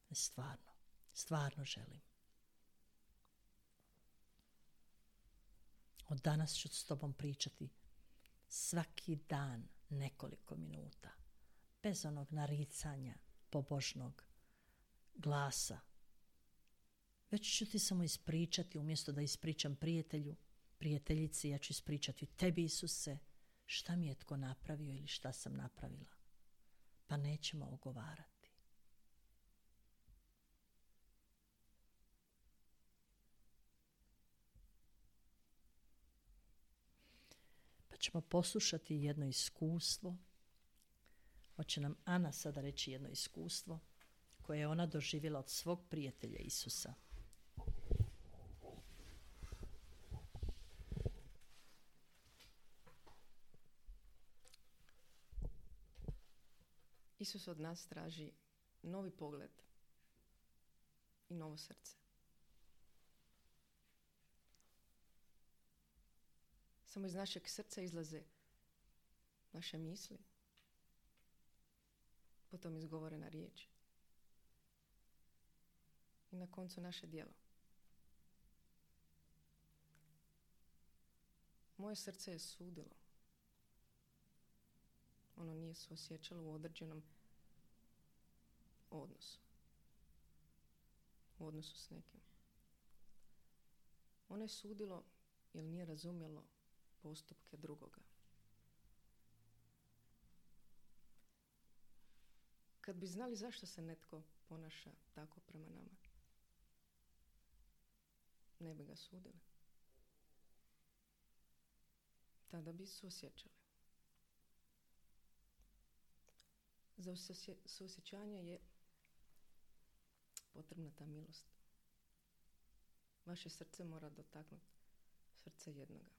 E, stvarno, stvarno želim. Od danas ću s tobom pričati svaki dan nekoliko minuta. Bez onog naricanja, pobožnog glasa. Već ću ti samo ispričati, umjesto da ispričam prijatelju, prijateljici, ja ću ispričati tebi, Isuse, šta mi je tko napravio ili šta sam napravila. Pa nećemo ogovarati. Pa ćemo poslušati jedno iskustvo. Hoće nam Ana sada reći jedno iskustvo koje je ona doživjela od svog prijatelja Isusa. Isus od nas traži novi pogled i novo srce. Samo iz našeg srca izlaze naše misli, potom izgovorena riječ i na koncu naše djelo. Moje srce je sudilo. Ono nije suosjećalo u određenom odnosu. U odnosu s nekim. Ono je sudilo jer nije razumjelo postupke drugoga. Kad bi znali zašto se netko ponaša tako prema nama, ne bi ga sudili. Tada bi suosjećali. Za suosjećanje je potrebna ta milost. Vaše srce mora dotaknuti srce jednoga.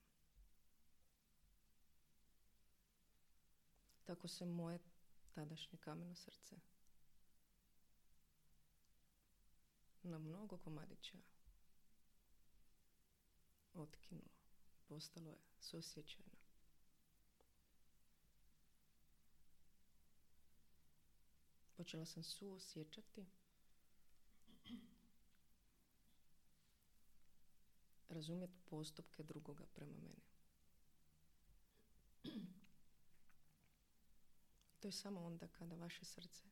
Tako se moje tadašnje kameno srce na mnogo komadića otkinulo. Postalo je suosjećajno. Počela sam suosjećati, razumjeti postupke drugoga prema meni. To je samo onda kada vaše srce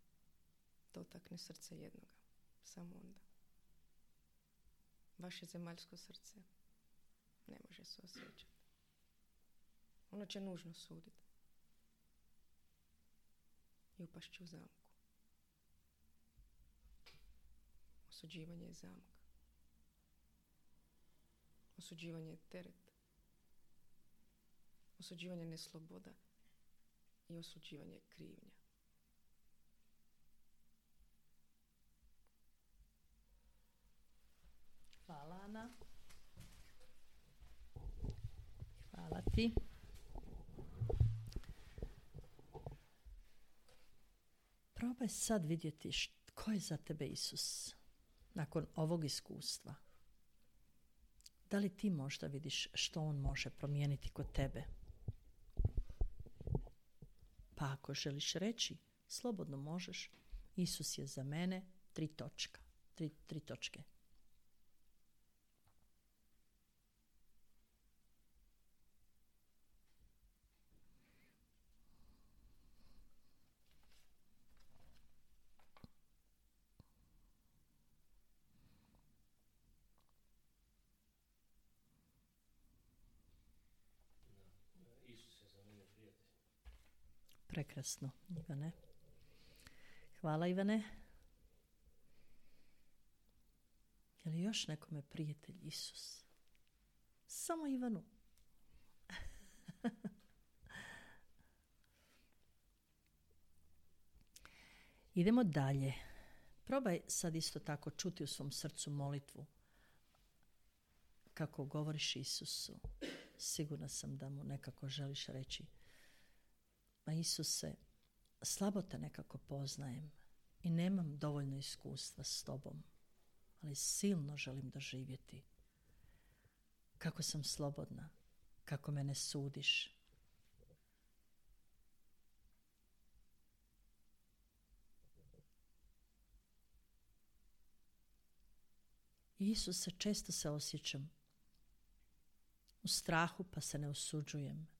dotakne srce jednoga. Samo onda. Vaše zemaljsko srce ne može se osjećati. Ono će nužno suditi. I upašći u zamku. Osuđivanje je zamak. Osuđivanje je teret. Osuđivanje je nesloboda. I osuđivanje je krivnja. Hvala, Ana. Hvala ti. Probaj sad vidjeti ko je za tebe Isus nakon ovog iskustva. Da li ti možda vidiš što on može promijeniti kod tebe? Pa ako želiš reći, slobodno možeš. Isus je za mene tri točka. Tri, tri točke. Prekrasno, Ivane. Hvala, Ivane. Je li još nekome prijatelj Isus? Samo Ivanu. Idemo dalje. Probaj sad isto tako čuti u svom srcu molitvu kako govoriš Isusu. Sigurna sam da mu nekako želiš reći: ma Isuse, slabo te nekako poznajem i nemam dovoljno iskustva s tobom, ali silno želim doživjeti kako sam slobodna, kako me ne sudiš. Isuse, često se osjećam u strahu pa se ne osuđujem.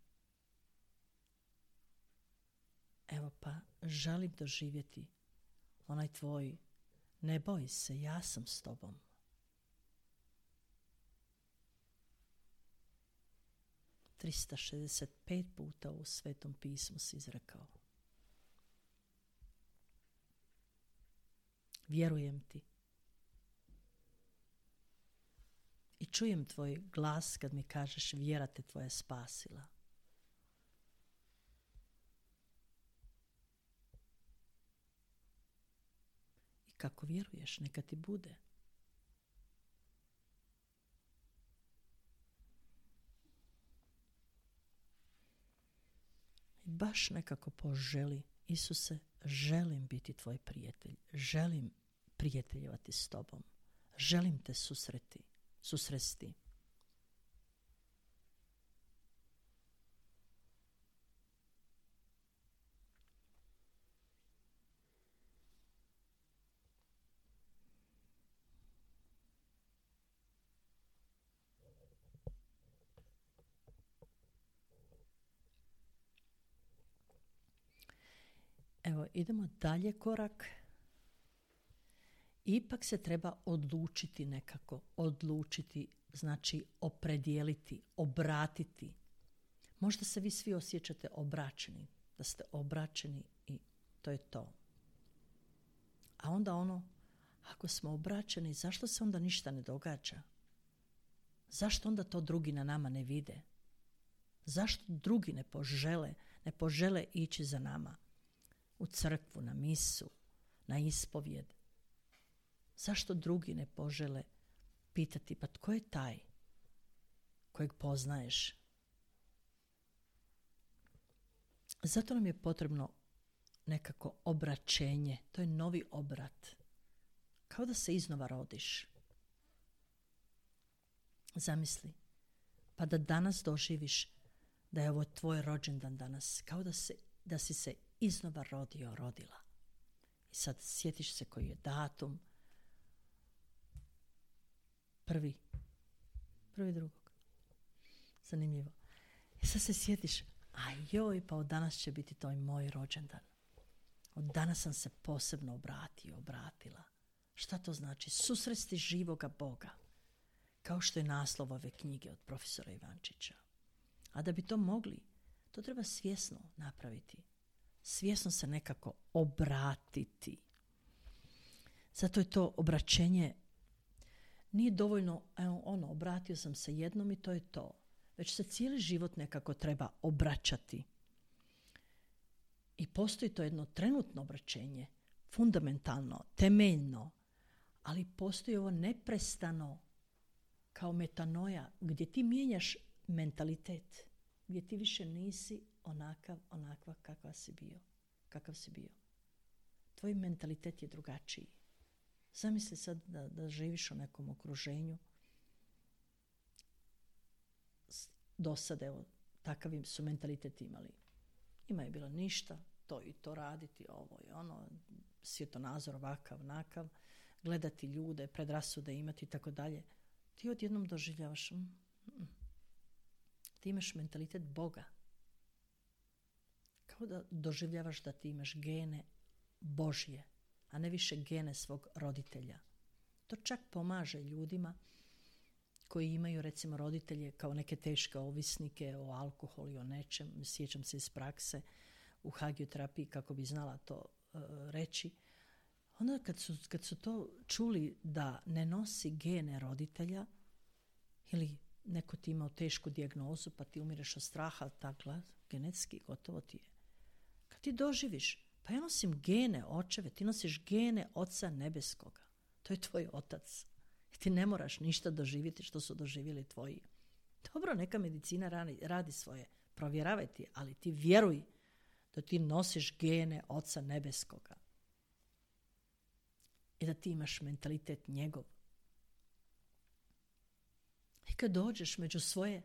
Evo pa želim doživjeti onaj tvoj: ne boj se, ja sam s tobom. trista šezdeset pet puta u Svetom pismu si izrekao. Vjerujem ti. I čujem tvoj glas kad mi kažeš: vjera te tvoja spasila. I kako vjeruješ, neka ti bude. I baš nekako poželi: Isuse, želim biti tvoj prijatelj. Želim prijateljevati s tobom. Želim te susreti. susresti. Evo, idemo dalje korak. Ipak se treba odlučiti nekako. Odlučiti znači opredijeliti, obratiti. Možda se vi svi osjećate obraćeni. Da ste obraćeni i to je to. A onda ono, ako smo obraćeni, zašto se onda ništa ne događa? Zašto onda to drugi na nama ne vide? Zašto drugi ne požele, ne požele ići za nama? U crkvu, na misu, na ispovjed. Zašto drugi ne požele pitati, pa tko je taj kojeg poznaješ? Zato nam je potrebno nekako obraćenje. To je novi obrat. Kao da se iznova rodiš. Zamisli. Pa da danas doživiš da je ovo tvoj rođendan danas. Kao da, se, da si se iznova rodio, rodila. I sad sjetiš se koji je datum. Prvi. Prvi drugog. Zanimljivo. I sad se sjetiš, a joj, pa od danas će biti to moj rođendan. Od danas sam se posebno obratio, obratila. Šta to znači? Susresti živoga Boga. Kao što je naslov ove knjige od profesora Ivančića. A da bi to mogli, to treba svjesno napraviti. Svjesno se nekako obratiti. Zato je to obraćenje, nije dovoljno, evo, ono, obratio sam se jednom i to je to. Već se cijeli život nekako treba obraćati. I postoji to jedno trenutno obraćenje, fundamentalno, temeljno, ali postoji ovo neprestano kao metanoja, gdje ti mijenjaš mentalitet, gdje ti više nisi onakav, onakva kakva si bio, kakav si bio. Tvoj mentalitet je drugačiji. Zamisli sad da, da živiš u nekom okruženju. Do sad, evo, takav su mentalitet imali. Ima je bilo ništa, to i to raditi, ovo i ono, svjetonazor ovakav, onakav, gledati ljude, predrasude imati i tako dalje. Ti odjednom doživljavaš, mm, mm, ti imaš mentalitet Boga. Kao da doživljavaš da ti imaš gene Božje, a ne više gene svog roditelja. To čak pomaže ljudima koji imaju recimo roditelje kao neke teške ovisnike o alkoholu i o nečem. Sjećam se iz prakse u hagioterapiji kako bi znala to uh, reći. Onda kad su, kad su to čuli da ne nosi gene roditelja ili neko ti imao tešku dijagnozu pa ti umireš od straha, tako genetski gotovo ti je. Kad ti doživiš, pa ja nosim gene očeve, ti nosiš gene Oca Nebeskoga. To je tvoj otac. I ti ne moraš ništa doživjeti što su doživjeli tvoji. Dobro, neka medicina radi, radi svoje, provjeravaj ti, ali ti vjeruj da ti nosiš gene Oca Nebeskoga. I da ti imaš mentalitet njegov. I kad dođeš među svoje,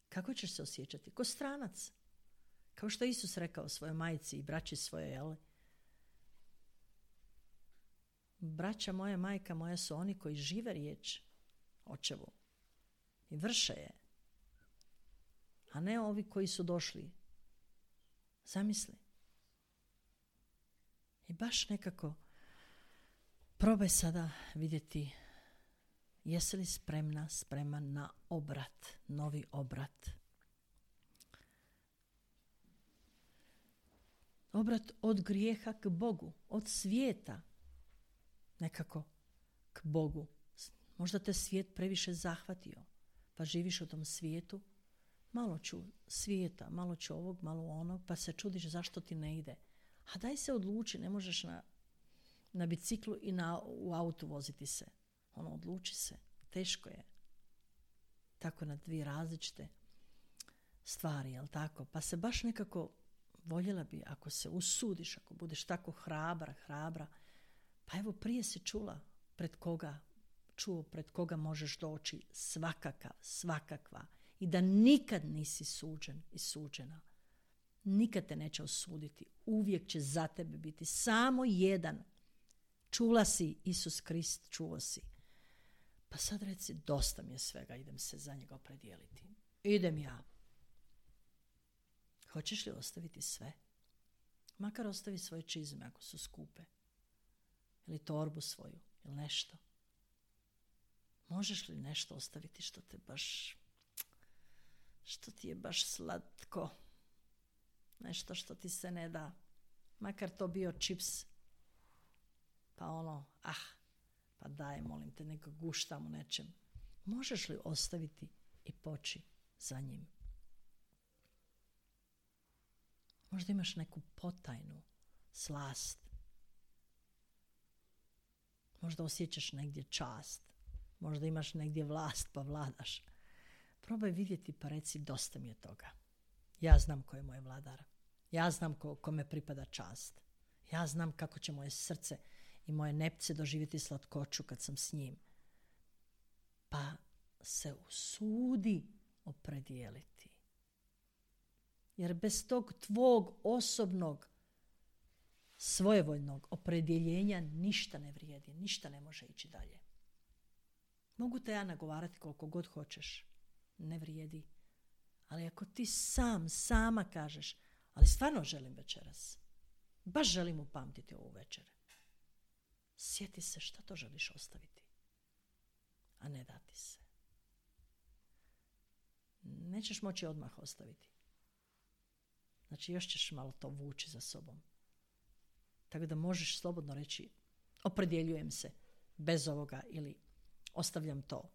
kako ćeš se osjećati? Ko stranac. Kao što je Isus rekao svojoj majci i braći svoje, jel? Braća moja, majka moja su oni koji žive riječ očevu i vrše je. A ne ovi koji su došli. Zamisli. I baš nekako probaj sada vidjeti jesi li spremna, spreman na obrat, novi obrat. Obrat od grijeha k Bogu, od svijeta nekako k Bogu. Možda te svijet previše zahvatio, pa živiš u tom svijetu. Malo ću svijeta, malo ću ovog, malo onog, pa se čudiš zašto ti ne ide. A daj se odluči, ne možeš na, na biciklu i na, u autu voziti se. Ono, odluči se. Teško je. Tako na dvije različite stvari, jel tako? Pa se baš nekako voljela bi, ako se usudiš, ako budeš tako hrabra, hrabra, pa evo prije si čula pred koga, čuo pred koga možeš doći svakakav, svakakva i da nikad nisi suđen i suđena. Nikad te neće osuditi. Uvijek će za tebe biti samo jedan. Čula si Isus Krist, čuo si. Pa sad reci, dosta mi je svega, idem se za njega opredijeliti. Idem ja. Hoćeš li ostaviti sve? Makar ostavi svoje čizme ako su skupe. Ili torbu svoju, ili nešto. Možeš li nešto ostaviti što te baš, što ti je baš slatko? Nešto što ti se ne da. Makar to bio čips. Pa ono, ah, pa daj, molim te, neka guštam u nečem. Možeš li ostaviti i poći za njim? Možda imaš neku potajnu slast. Možda osjećaš negdje čast. Možda imaš negdje vlast pa vladaš. Probaj vidjeti pa reci dosta mi je toga. Ja znam ko je moj vladar. Ja znam ko, kome pripada čast. Ja znam kako će moje srce i moje nepce doživjeti slatkoću kad sam s njim. Pa se usudi opredijeliti. Jer bez tog tvog osobnog svojevoljnog opredjeljenja ništa ne vrijedi, ništa ne može ići dalje. Mogu te ja nagovarati koliko god hoćeš, ne vrijedi. Ali ako ti sam, sama kažeš, ali stvarno želim večeras, baš želim upamtiti ovu večer, sjeti se šta to želiš ostaviti, a ne dati se. Nećeš moći odmah ostaviti. Znači još ćeš malo to vući za sobom. Tako da možeš slobodno reći opredjeljujem se bez ovoga ili ostavljam to.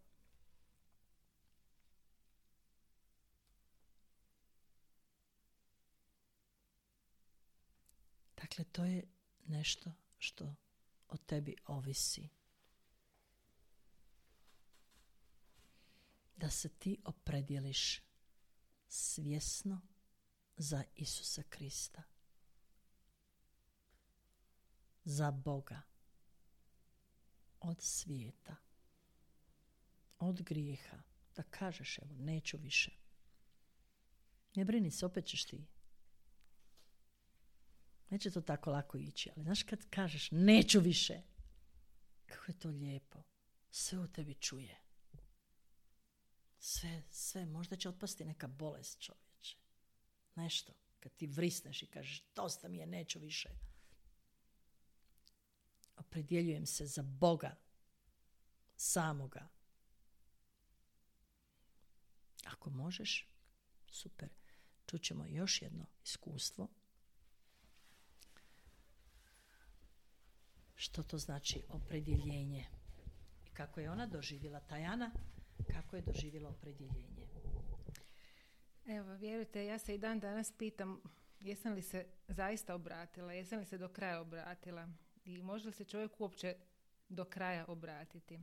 Dakle, to je nešto što o tebi ovisi. Da se ti opredjeliš svjesno za Isusa Krista. Za Boga. Od svijeta. Od grijeha. Da kažeš, evo, neću više. Ne brini se, opet ćeš ti. Neće to tako lako ići, ali znaš kad kažeš neću više, kako je to lijepo. Sve u tebi čuje. Sve, sve, možda će otpasti neka bolest, čovječe. Nešto, kad ti vrisneš i kažeš dosta mi je, neću više. Opredjeljujem se za Boga, samoga. Ako možeš, super. Čućemo još jedno iskustvo. Što to znači opredjeljenje? I kako je ona doživjela, Tajana, kako je doživjela opredjeljenje? Evo, vjerujte, ja se i dan danas pitam jesam li se zaista obratila, jesam li se do kraja obratila i može li se čovjek uopće do kraja obratiti.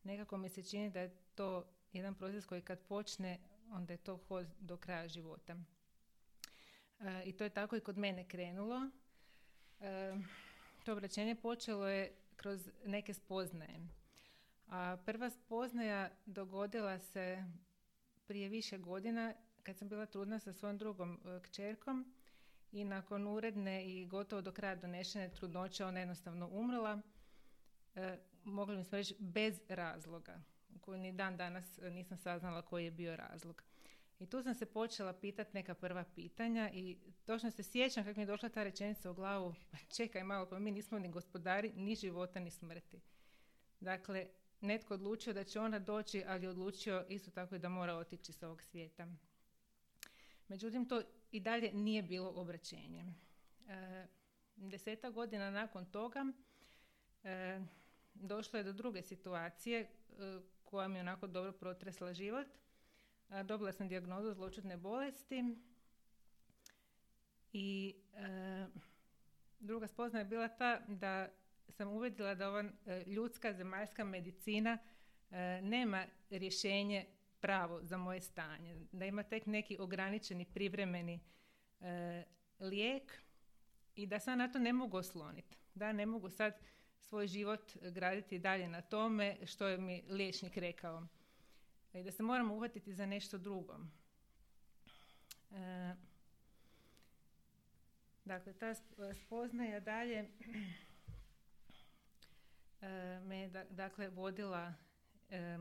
Nekako mi se čini da je to jedan proces koji kad počne, onda je to hod do kraja života. E, I to je tako i kod mene krenulo. E, to obraćenje počelo je kroz neke spoznaje. A prva spoznaja dogodila se prije više godina kad sam bila trudna sa svojom drugom e, kćerkom i nakon uredne i gotovo do kraja donešene trudnoće ona jednostavno umrla. E, mogli bismo reći bez razloga, koju ni dan danas nisam saznala koji je bio razlog. I tu sam se počela pitati neka prva pitanja i točno se sjećam kako mi je došla ta rečenica u glavu, čekaj malo, pa mi nismo ni gospodari ni života ni smrti. Dakle, netko odlučio da će ona doći, ali je odlučio isto tako i da mora otići s ovog svijeta. Međutim, to i dalje nije bilo obraćenje. E, deseta godina nakon toga e, došlo je do druge situacije e, koja mi je onako dobro protresla život. E, dobila sam dijagnozu zloćudne bolesti i e, druga spoznaja je bila ta da sam uvidjela da ova e, ljudska zemaljska medicina e, nema rješenje pravo za moje stanje, da ima tek neki ograničeni privremeni e, lijek i da sad na to ne mogu osloniti, da ne mogu sad svoj život graditi dalje na tome što je mi liječnik rekao i da se moramo uhvatiti za nešto drugo. E, dakle, ta spoznaja dalje e, me da, dakle vodila e,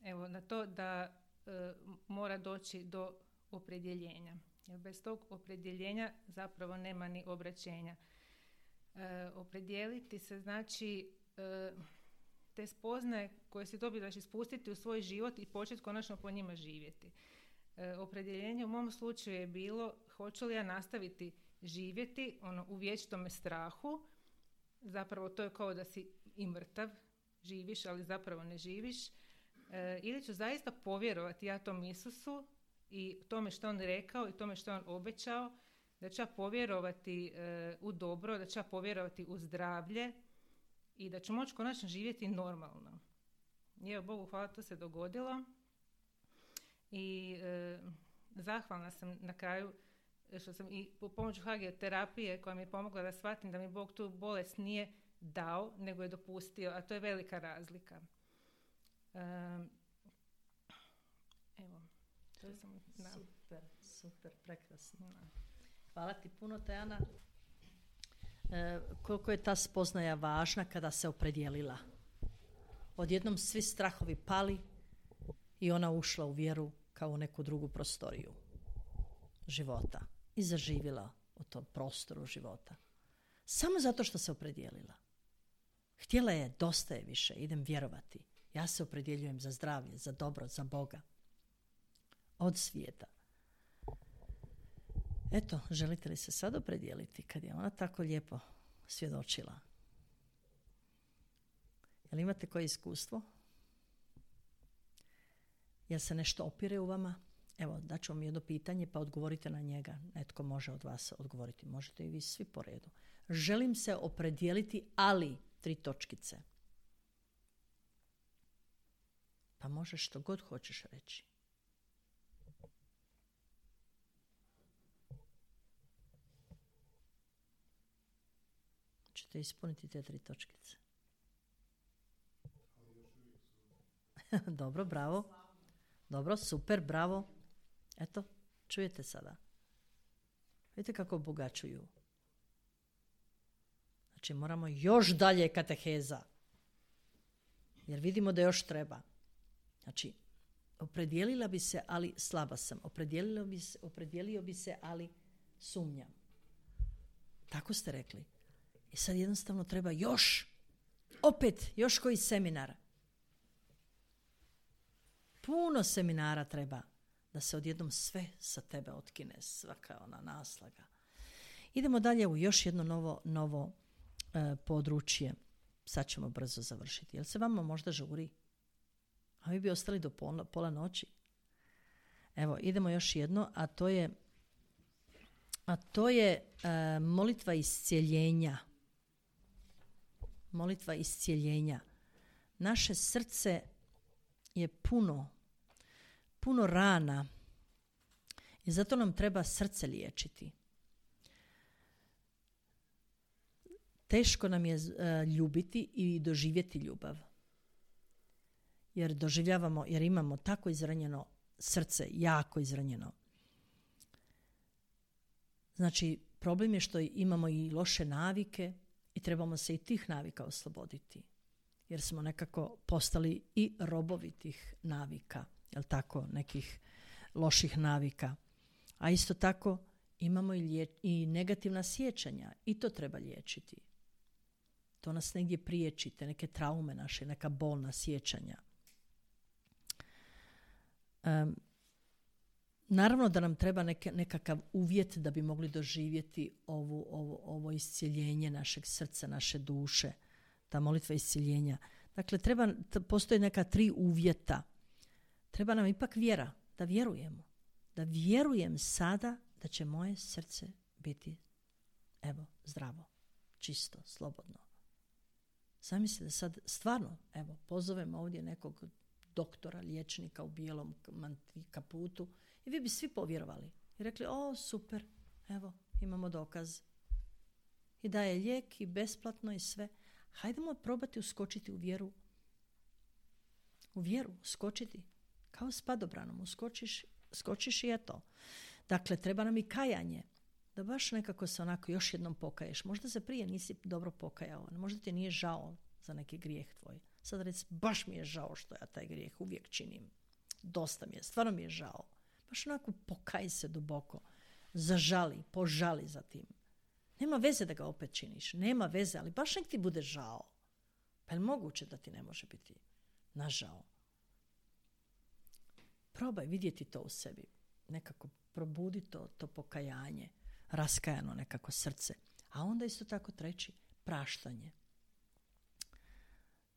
evo na to da e, mora doći do opredjeljenja. Jer bez tog opredjeljenja zapravo nema ni obraćenja. E, opredijeliti se znači e, te spoznaje koje si dobivaš ispustiti u svoj život i početi konačno po njima živjeti. E, opredjeljenje u mom slučaju je bilo hoću li ja nastaviti živjeti ono, u vječitome strahu. Zapravo to je kao da si i mrtav, živiš ali zapravo ne živiš. E, ili ću zaista povjerovati ja tom Isusu i tome što on rekao i tome što on obećao, da ću ja povjerovati e, u dobro, da ću ja povjerovati u zdravlje i da ću moći konačno živjeti normalno. I evo, Bogu hvala, to se dogodilo. I e, zahvalna sam na kraju što sam i po pomoću hagioterapije koja mi je pomogla da shvatim da mi Bog tu bolest nije dao, nego je dopustio, a to je velika razlika. E, evo, to sam... Da. Super, super, prekrasno. Da. Hvala ti puno, Tejana. E, koliko je ta spoznaja važna kada se opredijelila. Odjednom svi strahovi pali i ona ušla u vjeru kao u neku drugu prostoriju života i zaživjela u tom prostoru života. Samo zato što se opredijelila. Htjela je, dosta je više, idem vjerovati. Ja se opredjeljujem za zdravlje, za dobro, za Boga. Od svijeta. Eto, želite li se sad opredijeliti kad je ona tako lijepo svjedočila? Jel imate koje iskustvo? Jel se nešto opire u vama? Evo, daću vam jedno pitanje pa odgovorite na njega. Netko može od vas odgovoriti. Možete i vi svi po redu. Želim se opredijeliti, ali tri točkice. Pa možeš što god hoćeš reći. Ćete ispuniti te tri točkice. Dobro, bravo. Dobro, super, bravo. Eto, čujete sada. Vidite kako obogaćuju. Znači, moramo još dalje kateheza. Jer vidimo da još treba. Znači, opredijelila bi se, ali slaba sam. Opredijelio bi se, opredijelio bi se, ali sumnjam. Tako ste rekli. I sad jednostavno treba još, opet, još koji seminar. Puno seminara treba da se odjednom sve sa tebe otkine, svaka ona naslaga. Idemo dalje u još jedno novo, novo e, područje. Sad ćemo brzo završiti. Jel se vama možda žuri? A vi bi ostali do pola, pola noći? Evo, idemo još jedno, a to je, a to je e, molitva iscijeljenja. Molitva iscijeljenja. Naše srce je puno, puno rana i zato nam treba srce liječiti. Teško nam je uh, ljubiti i doživjeti ljubav. Jer doživljavamo, jer imamo tako izranjeno srce, jako izranjeno. Znači, problem je što imamo i loše navike i trebamo se i tih navika osloboditi. Jer smo nekako postali i robovi tih navika, jel tako, nekih loših navika. A isto tako imamo i, lije, i negativna sjećanja i to treba liječiti. To nas negdje priječi, te neke traume naše, neka bolna sjećanja. Um, naravno da nam treba neke, nekakav uvjet da bi mogli doživjeti ovu, ovo, ovo iscjeljenje našeg srca, naše duše. Ta molitva iscjeljenja. Dakle, treba, postoje neka tri uvjeta. Treba nam ipak vjera, da vjerujemo. Da vjerujem sada da će moje srce biti, evo, zdravo, čisto, slobodno. Zamislite da sad stvarno, evo, pozovem ovdje nekog doktora, liječnika u bijelom kaputu i vi bi svi povjerovali. I rekli, o, super, evo, imamo dokaz. I daje lijek i besplatno i sve. Hajdemo probati uskočiti u vjeru. U vjeru uskočiti. Kao s padobranom. Uskočiš, skočiš i eto. Dakle, treba nam i kajanje. Da baš nekako se onako još jednom pokaješ. Možda se prije nisi dobro pokajao. Možda ti nije žao za neki grijeh tvoj. Sad reci, baš mi je žao što ja taj grijeh uvijek činim. Dosta mi je, stvarno mi je žao. Baš onako pokaj se duboko. Zažali, požali za tim. Nema veze da ga opet činiš. Nema veze, ali baš nek ti bude žao. Pa je li moguće da ti ne može biti nažao? Probaj vidjeti to u sebi. Nekako probudi to, to pokajanje. Raskajano nekako srce. A onda isto tako treći, praštanje.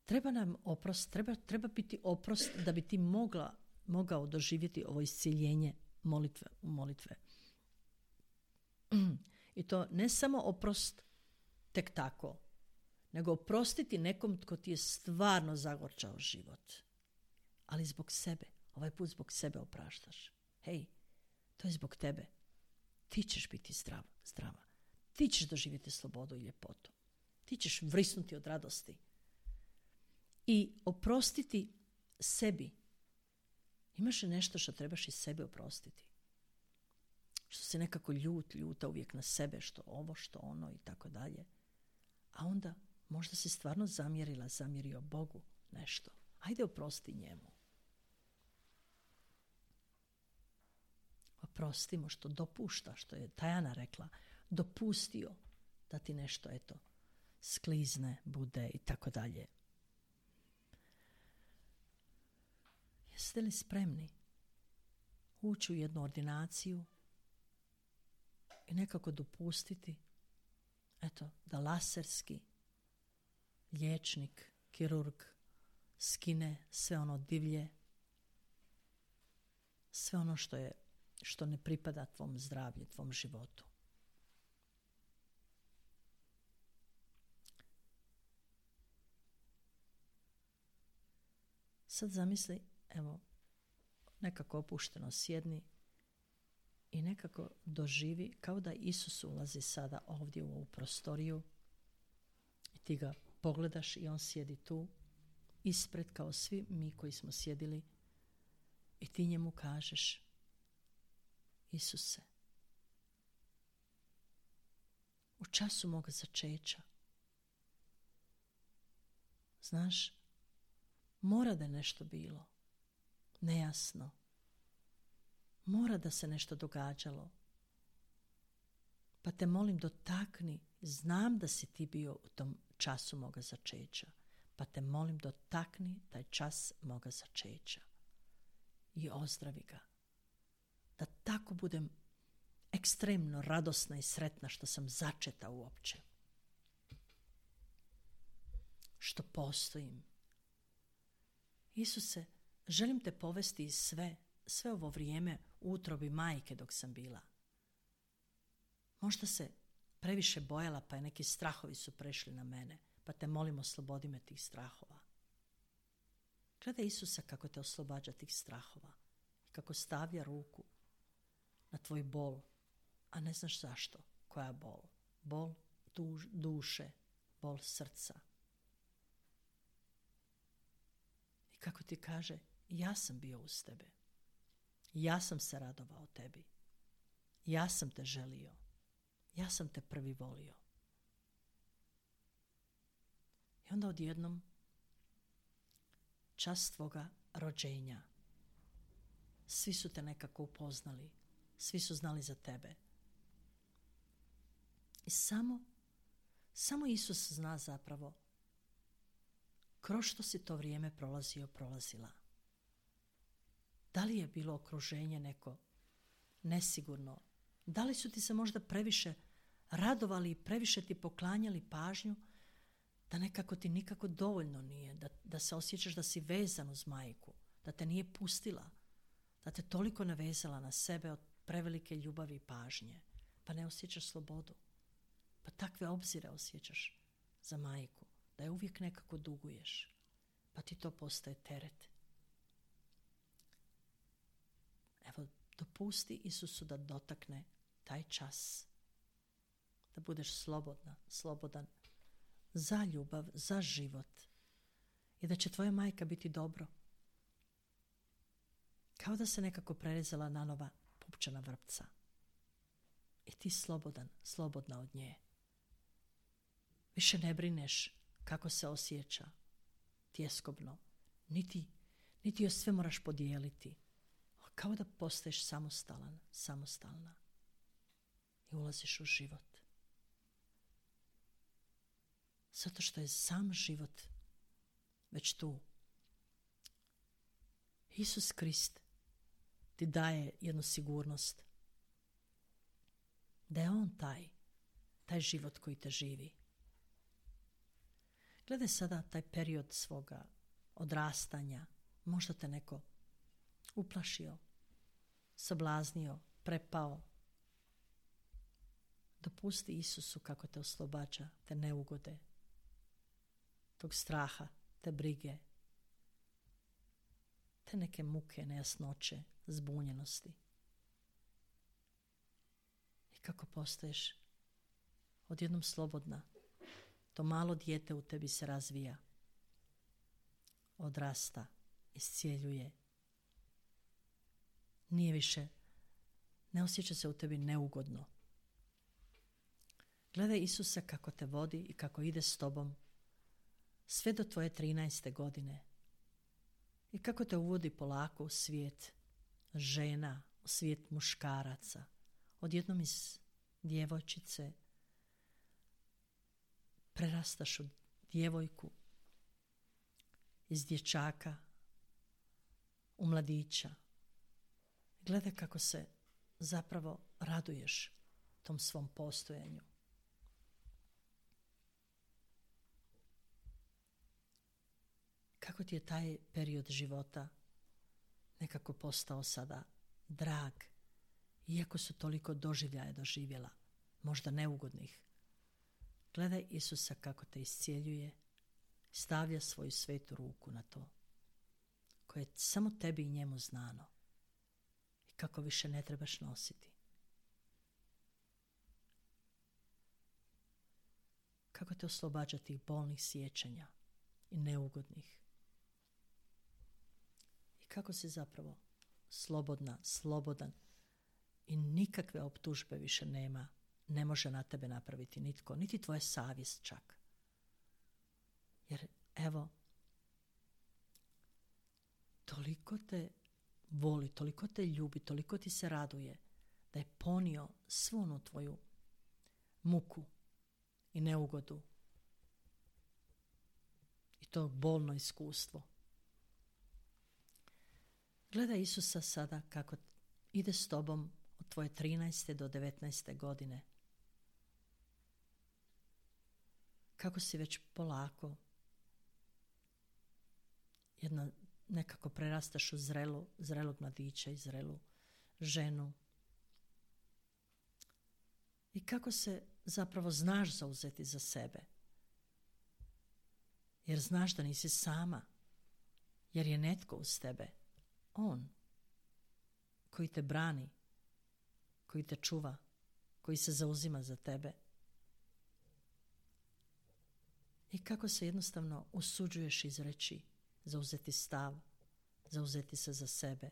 Treba nam oprost, treba, treba biti oprost da bi ti mogla, mogao doživjeti ovo iscjeljenje molitve u molitve. I to ne samo oprost tek tako, nego oprostiti nekom tko ti je stvarno zagorčao život. Ali zbog sebe. Ovaj put zbog sebe opraštaš. Hej, to je zbog tebe. Ti ćeš biti zdrav, zdrava. Ti ćeš doživjeti slobodu i ljepotu. Ti ćeš vrisnuti od radosti. I oprostiti sebi. Imaš li nešto što trebaš i sebe oprostiti? Što si nekako ljut, ljuta uvijek na sebe, što ovo, što ono i tako dalje. A onda možda si stvarno zamjerila, zamjerio Bogu nešto. Ajde oprosti njemu. Oprostimo što dopušta, što je Tajana rekla, dopustio da ti nešto, eto, sklizne, bude i tako dalje. Jeste li spremni ući u jednu ordinaciju i nekako dopustiti, eto, da laserski liječnik, kirurg skine sve ono divlje, sve ono što je, što ne pripada tvom zdravlju, tvom životu. Sad zamisli, evo, nekako opušteno sjedni i nekako doživi kao da Isus ulazi sada ovdje u ovu prostoriju i ti ga pogledaš i on sjedi tu ispred kao svi mi koji smo sjedili i ti njemu kažeš: Isuse, u času moga začeća, znaš, mora da je nešto bilo nejasno, mora da se nešto događalo, pa te molim dotakni, znam da si ti bio u tom času moga začeća, pa te molim dotakni taj čas moga začeća i ozdravi ga, da tako budem ekstremno radosna i sretna što sam začeta uopće, što postojim. Isuse, želim te povesti iz sve, sve ovo vrijeme u utrobi majke dok sam bila. Možda se previše bojala, pa je neki strahovi su prešli na mene, pa te molim, oslobodi me tih strahova. Gledaj Isusa kako te oslobađa tih strahova i kako stavlja ruku na tvoj bol, a ne znaš zašto. Koja bol? Bol duš, duše, bol srca. I kako ti kaže, ja sam bio uz tebe. Ja sam se radovao tebi. Ja sam te želio. Ja sam te prvi volio. I onda odjednom čas tvoga rođenja. Svi su te nekako upoznali. Svi su znali za tebe. I samo, samo Isus zna zapravo kroz što si to vrijeme prolazio, prolazila. Da li je bilo okruženje neko nesigurno? Da li su ti se možda previše radovali i previše ti poklanjali pažnju da nekako ti nikako dovoljno nije, da, da se osjećaš da si vezan uz majku, da te nije pustila, da te toliko navezala na sebe od prevelike ljubavi i pažnje, pa ne osjećaš slobodu, pa takve obzire osjećaš za majku, da je uvijek nekako duguješ, pa ti to postaje teret. Evo, dopusti Isusu da dotakne taj čas, da budeš slobodna, slobodan za ljubav, za život i da će tvoja majka biti dobro. Kao da se nekako prerezala na nova pupčana vrpca. I ti slobodan, slobodna od nje. Više ne brineš kako se osjeća tjeskobno, niti, niti joj sve moraš podijeliti. Kao da postaješ samostalan, samostalna i ulaziš u život. Zato što je sam život već tu. Isus Krist ti daje jednu sigurnost da je on taj, taj život koji te živi. Gledaj sada taj period svoga odrastanja, možda te neko uplašio, sablaznio, prepao. Dopusti Isusu kako te oslobađa te neugode tog straha, te brige, te neke muke, nejasnoće, zbunjenosti. I kako postaješ odjednom slobodna, to malo dijete u tebi se razvija, odrasta, iscijeljuje. Nije više, ne osjeća se u tebi neugodno. Gledaj Isusa kako te vodi i kako ide s tobom sve do tvoje trinaeste godine i kako te uvodi polako u svijet žena, u svijet muškaraca. Odjednom iz djevojčice prerastaš u djevojku, iz dječaka u mladića. Gledaj kako se zapravo raduješ tom svom postojanju. Kako ti je taj period života nekako postao sada drag, iako su toliko doživljaja doživjela, možda neugodnih. Gledaj Isusa kako te iscijeljuje, stavlja svoju svetu ruku na to, koje je samo tebi i njemu znano i kako više ne trebaš nositi. Kako te oslobađa tih bolnih sjećanja i neugodnih. I kako si zapravo slobodna, slobodan i nikakve optužbe više nema, ne može na tebe napraviti nitko, niti tvoja savjest čak. Jer evo, toliko te voli, toliko te ljubi, toliko ti se raduje da je ponio svu onu tvoju muku i neugodu i to bolno iskustvo. Gledaj Isusa sada kako ide s tobom od tvoje trinaeste do devetnaeste godine. Kako si već polako jedna, nekako prerastaš u zrelu, zrelog mladića i zrelu ženu. I kako se zapravo znaš zauzeti za sebe. Jer znaš da nisi sama. Jer je netko uz tebe. On. Koji te brani. Koji te čuva. Koji se zauzima za tebe. I kako se jednostavno usuđuješ izreći, zauzeti stav, zauzeti se za sebe.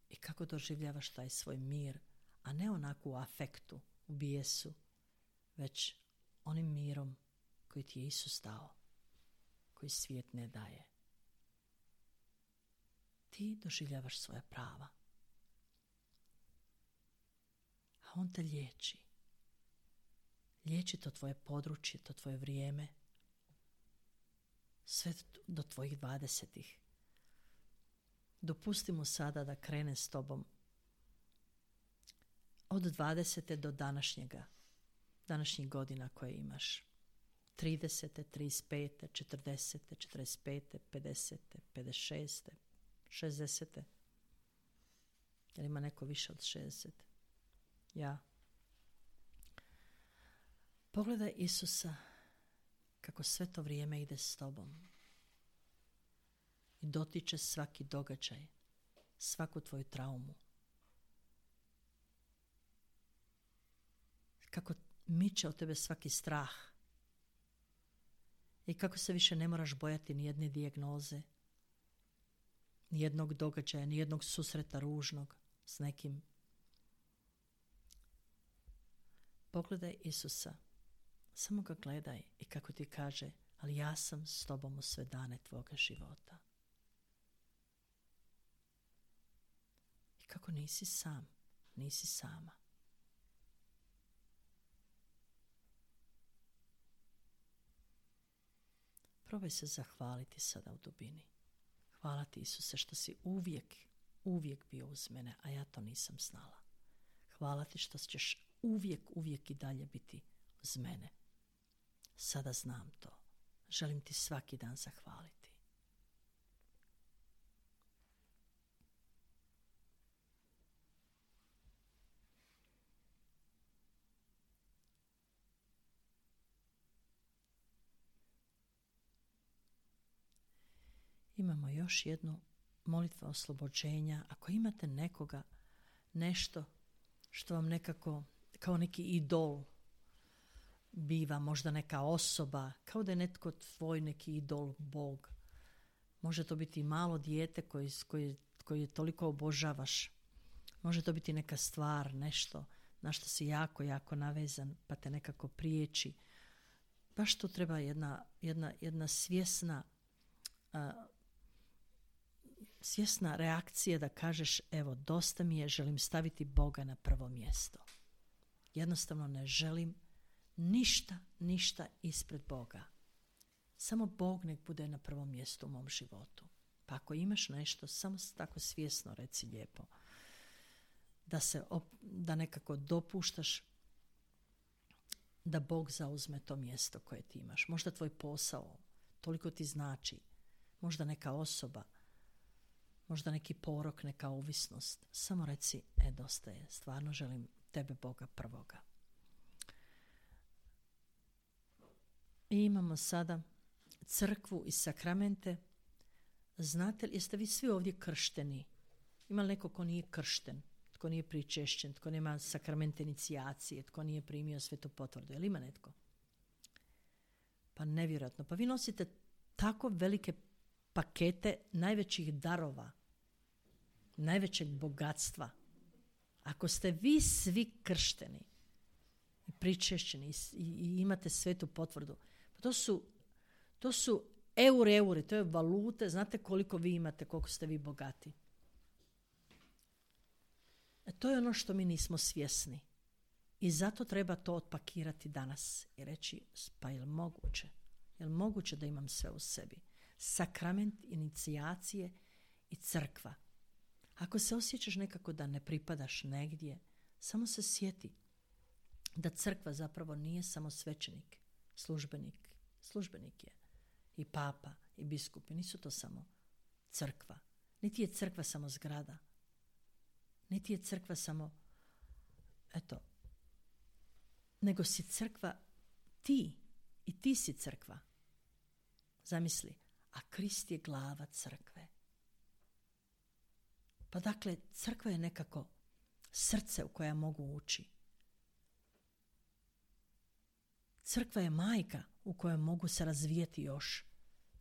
I kako doživljavaš taj svoj mir, a ne onako u afektu, u bijesu, već onim mirom koji ti je Isus dao, koji svijet ne daje. Ti doživljavaš svoja prava, a on te liječi. Liječi to tvoje područje, to tvoje vrijeme, sve do tvojih dvadesetih. Dopusti mu sada da krene s tobom od dvadesete do današnjega, današnjih godina koje imaš. tridesete, trideset pete, četrdesete, četrdeset pete, pedesete, pedeset šeste, šezdesete. Jel ima neko više od šezdeset? Ja. Pogledaj Isusa kako sve to vrijeme ide s tobom i dotiče svaki događaj, svaku tvoju traumu. Kako miče od tebe svaki strah i kako se više ne moraš bojati ni jedne dijagnoze, ni jednog događaja, ni jednog susreta ružnog s nekim. Pogledaj Isusa, samo ga gledaj i kako ti kaže, ali ja sam s tobom u sve dane tvoga života. I kako nisi sam, nisi sama. Probaj se zahvaliti sada u dubini. Hvala ti Isuse što si uvijek, uvijek bio uz mene, a ja to nisam znala. Hvala ti što ćeš uvijek, uvijek i dalje biti uz mene. Sada znam to. Želim ti svaki dan zahvaliti. Imamo još jednu molitvu oslobođenja. Ako imate nekoga, nešto što vam nekako kao neki idol biva, možda neka osoba, kao da je netko tvoj neki idol, Bog. Može to biti i malo dijete koji, koji, koji toliko obožavaš. Može to biti neka stvar, nešto na što si jako, jako navezan, pa te nekako priječi. Baš tu treba jedna, jedna, jedna svjesna, uh, svjesna reakcija da kažeš, evo, dosta mi je, želim staviti Boga na prvo mjesto. Jednostavno ne želim ništa, ništa ispred Boga. Samo Bog nek bude na prvom mjestu u mom životu. Pa ako imaš nešto, samo tako svjesno reci lijepo. Da se op- da nekako dopuštaš da Bog zauzme to mjesto koje ti imaš. Možda tvoj posao, toliko ti znači. Možda neka osoba, možda neki porok, neka ovisnost. Samo reci, e, dosta je, stvarno želim tebe, Boga prvoga. I imamo sada crkvu i sakramente. Znate li, jeste vi svi ovdje kršteni? Ima li neko ko nije kršten, tko nije pričešćen, tko nema sakramente inicijacije, tko nije primio svetu potvrdu? Je li ima netko? Pa nevjerojatno. Pa vi nosite tako velike pakete najvećih darova, najvećeg bogatstva. Ako ste vi svi kršteni i pričešćeni i, i imate svetu potvrdu, pa to su, to su eure, eure, to je valute. Znate koliko vi imate, koliko ste vi bogati. E to je ono što mi nismo svjesni. I zato treba to otpakirati danas i reći, pa je li moguće? Je li moguće da imam sve u sebi? Sakrament inicijacije i crkva. Ako se osjećaš nekako da ne pripadaš negdje, samo se sjeti da crkva zapravo nije samo svećenik, službenik. Službenik je i papa i biskupi. Nisu to samo crkva. Niti je crkva samo zgrada. Niti je crkva samo, eto, nego si crkva ti i ti si crkva. Zamisli, a Krist je glava crkve. Pa dakle, crkva je nekako srce u koje ja mogu ući. Crkva je majka u kojoj mogu se razvijeti još.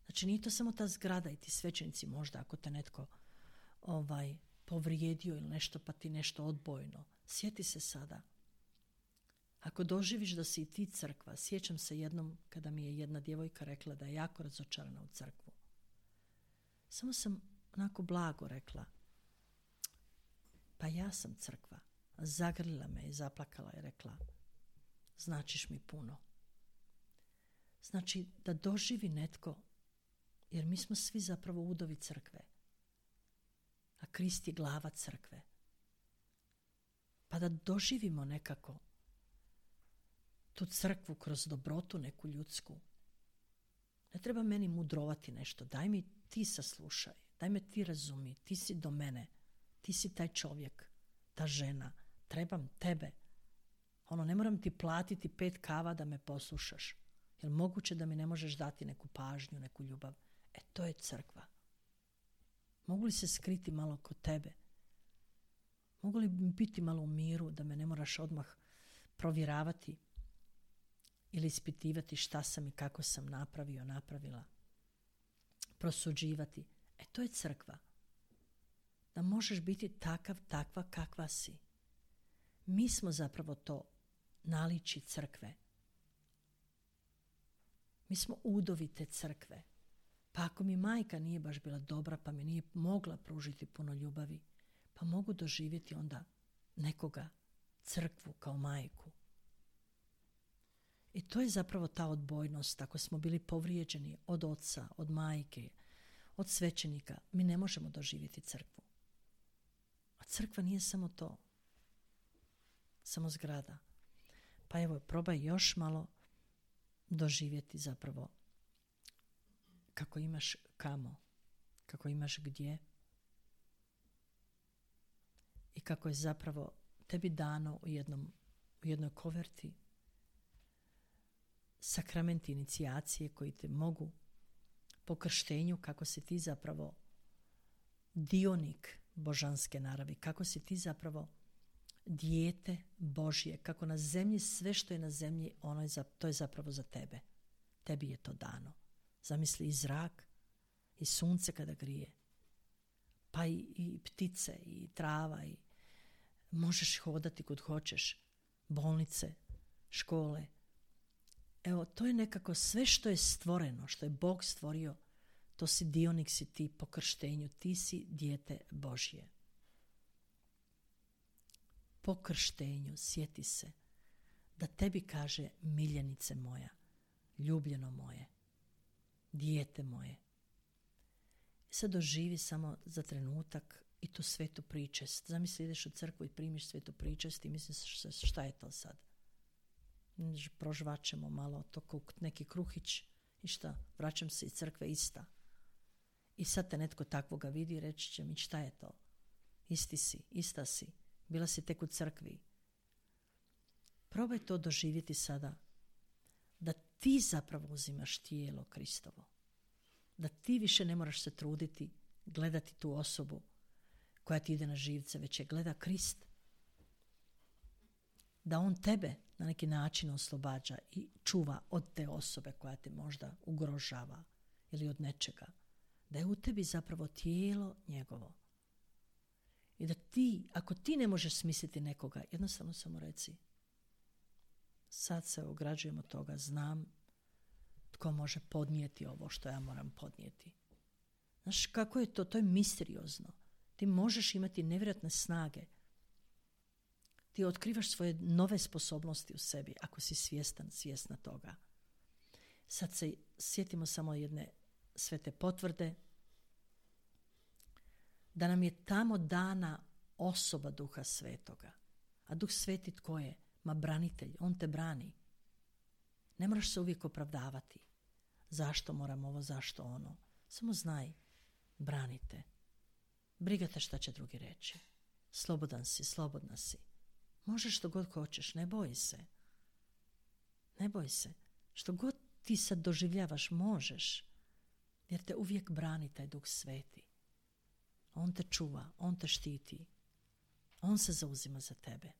Znači, nije to samo ta zgrada i ti svećenici možda, ako te netko ovaj, povrijedio ili nešto, pa ti nešto odbojno. Sjeti se sada. Ako doživiš da si i ti crkva, sjećam se jednom kada mi je jedna djevojka rekla da je jako razočarana u crkvu. Samo sam onako blago rekla, pa ja sam crkva. Zagrlila me i zaplakala i rekla, značiš mi puno. Znači da doživi netko, jer mi smo svi zapravo udovi crkve, a Krist je glava crkve. Pa da doživimo nekako tu crkvu kroz dobrotu neku ljudsku. Ne treba meni mudrovati nešto, daj mi ti saslušaj, daj me ti razumi, ti si do mene, ti si taj čovjek, ta žena, trebam tebe. Ono, ne moram ti platiti pet kava da me poslušaš. Jel moguće da mi ne možeš dati neku pažnju, neku ljubav? E, to je crkva. Mogu li se skriti malo kod tebe? Mogu li biti malo u miru da me ne moraš odmah provjeravati ili ispitivati šta sam i kako sam napravio, napravila? Prosuđivati. E, to je crkva. Da možeš biti takav, takva kakva si. Mi smo zapravo to naličje crkve. Mi smo udovi te crkve. Pa ako mi majka nije baš bila dobra, pa mi nije mogla pružiti puno ljubavi, pa mogu doživjeti onda nekoga, crkvu kao majku. I to je zapravo ta odbojnost. Ako smo bili povrijeđeni od oca, od majke, od svećenika, mi ne možemo doživjeti crkvu. A crkva nije samo to. Samo zgrada. Pa evo, probaj još malo doživjeti zapravo kako imaš kamo, kako imaš gdje i kako je zapravo tebi dano u, jednom, u jednoj koverti sakramenti inicijacije koji te mogu po krštenju, kako si ti zapravo dionik božanske naravi, kako si ti zapravo dijete Božje, kako na zemlji sve što je na zemlji, ono je za, to je zapravo za tebe. Tebi je to dano. Zamisli i zrak, i sunce kada grije, pa i, i ptice, i trava, i možeš hodati kud hoćeš, bolnice, škole. Evo, to je nekako sve što je stvoreno, što je Bog stvorio, to si dionik, si ti po krštenju, ti si dijete Božje. Po krštenju sjeti se da tebi kaže miljenice moja, ljubljeno moje, dijete moje. Sad doživi samo za trenutak i tu svetu pričest. Zamisli, ideš u crkvu i primiš svetu pričest i misliš šta je to sad? Prožvačemo malo to kao neki kruhić i šta? Vraćam se iz crkve ista. I sad te netko takvoga vidi i reći će mi šta je to? Isti si, ista si. Bila si tek u crkvi. Probaj to doživjeti sada. Da ti zapravo uzimaš tijelo Kristovo. Da ti više ne moraš se truditi gledati tu osobu koja ti ide na živce, već je gleda Krist. Da on tebe na neki način oslobađa i čuva od te osobe koja te možda ugrožava ili od nečega. Da je u tebi zapravo tijelo njegovo. I da ti, ako ti ne možeš smisliti nekoga, jednostavno samo reci, sad se ograđujem od toga, znam tko može podnijeti ovo što ja moram podnijeti. Znaš kako je to? To je misteriozno. Ti možeš imati nevjerojatne snage. Ti otkrivaš svoje nove sposobnosti u sebi ako si svjestan, svjesna toga. Sad se sjetimo samo jedne svete potvrde da nam je tamo dana osoba Duha Svetoga. A Duh Sveti tko je? Ma branitelj, on te brani. Ne moraš se uvijek opravdavati. Zašto moram ovo, zašto ono. Samo znaj, branite. Briga te šta će drugi reći. Slobodan si, slobodna si. Možeš što god hoćeš, ne boj se. Ne boj se. Što god ti sad doživljavaš, možeš. Jer te uvijek brani taj Duh Sveti. On te čuva, on te štiti. On se zauzima za tebe.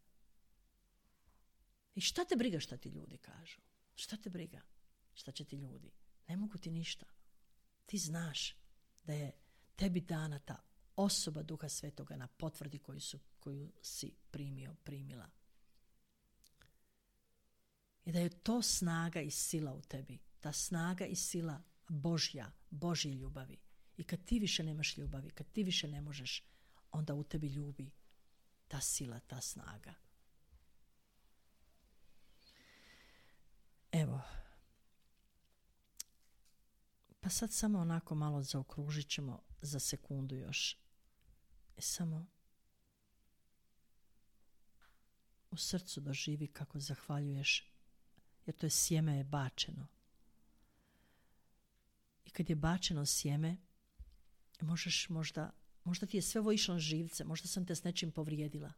I šta te briga šta ti ljudi kažu? Šta te briga? Šta će ti ljudi? Ne mogu ti ništa. Ti znaš da je tebi dana ta osoba Duha Svetoga na potvrdi koju, su, koju si primio, primila. I da je to snaga i sila u tebi. Ta snaga i sila Božja, Božje ljubavi. I kad ti više nemaš ljubavi, kad ti više ne možeš, onda u tebi ljubi ta sila, ta snaga. Evo. Pa sad samo onako malo zaokružit ćemo za sekundu još. I samo u srcu doživi kako zahvaljuješ, jer to je sjeme je bačeno. I kad je bačeno sjeme, možeš možda, možda ti je sve ovo išlo na živce, možda sam te s nečim povrijedila.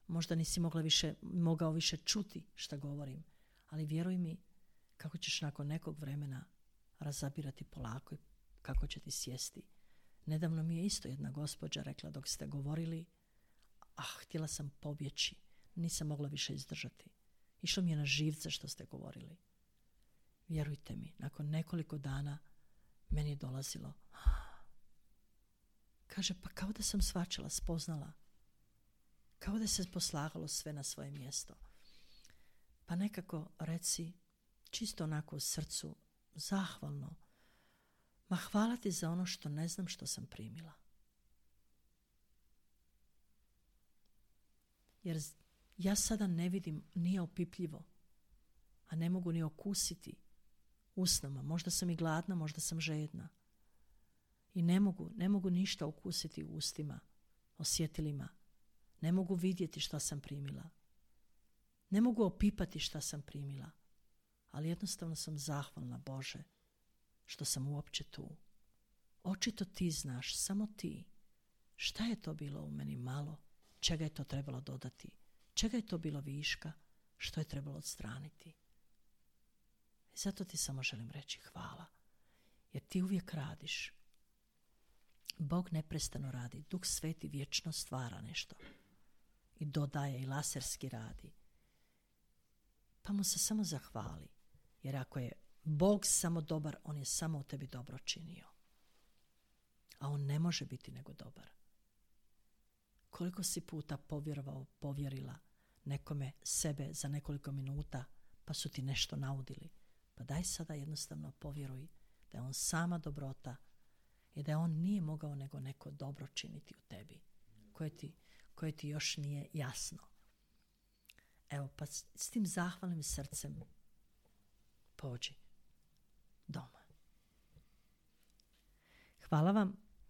Možda nisi mogla više, mogao više čuti šta govorim. Ali vjeruj mi kako ćeš nakon nekog vremena razabirati polako i kako će ti sjesti. Nedavno mi je isto jedna gospođa rekla dok ste govorili, ah, htjela sam pobjeći, nisam mogla više izdržati. Išlo mi je na živce što ste govorili. Vjerujte mi, nakon nekoliko dana meni je dolazilo. Kaže, pa kao da sam shvaćala, spoznala. Kao da se poslagalo sve na svoje mjesto. Pa nekako reci, čisto onako u srcu, zahvalno, ma hvala ti za ono što ne znam što sam primila. Jer ja sada ne vidim, nije opipljivo, a ne mogu ni okusiti usnama. Možda sam i gladna, možda sam žedna. I ne mogu, ne mogu ništa okusiti u ustima, osjetilima. Ne mogu vidjeti što sam primila. Ne mogu opipati šta sam primila, ali jednostavno sam zahvalna, Bože, što sam uopće tu. Očito ti znaš, samo ti. Šta je to bilo u meni malo? Čega je to trebalo dodati? Čega je to bilo viška? Što je trebalo odstraniti? I zato ti samo želim reći hvala. Jer ti uvijek radiš. Bog neprestano radi. Duh Sveti vječno stvara nešto. I dodaje i laserski radi. Pa mu se samo zahvali. Jer ako je Bog samo dobar, on je samo u tebi dobro činio. A on ne može biti nego dobar. Koliko si puta povjerovao, povjerila nekome sebe za nekoliko minuta, pa su ti nešto naudili. Pa daj sada jednostavno povjeruj da je on sama dobrota i da on nije mogao nego neko dobro činiti u tebi, koje ti, koje ti još nije jasno. Evo, pa s, s tim zahvalnim srcem pođi doma. Hvala vam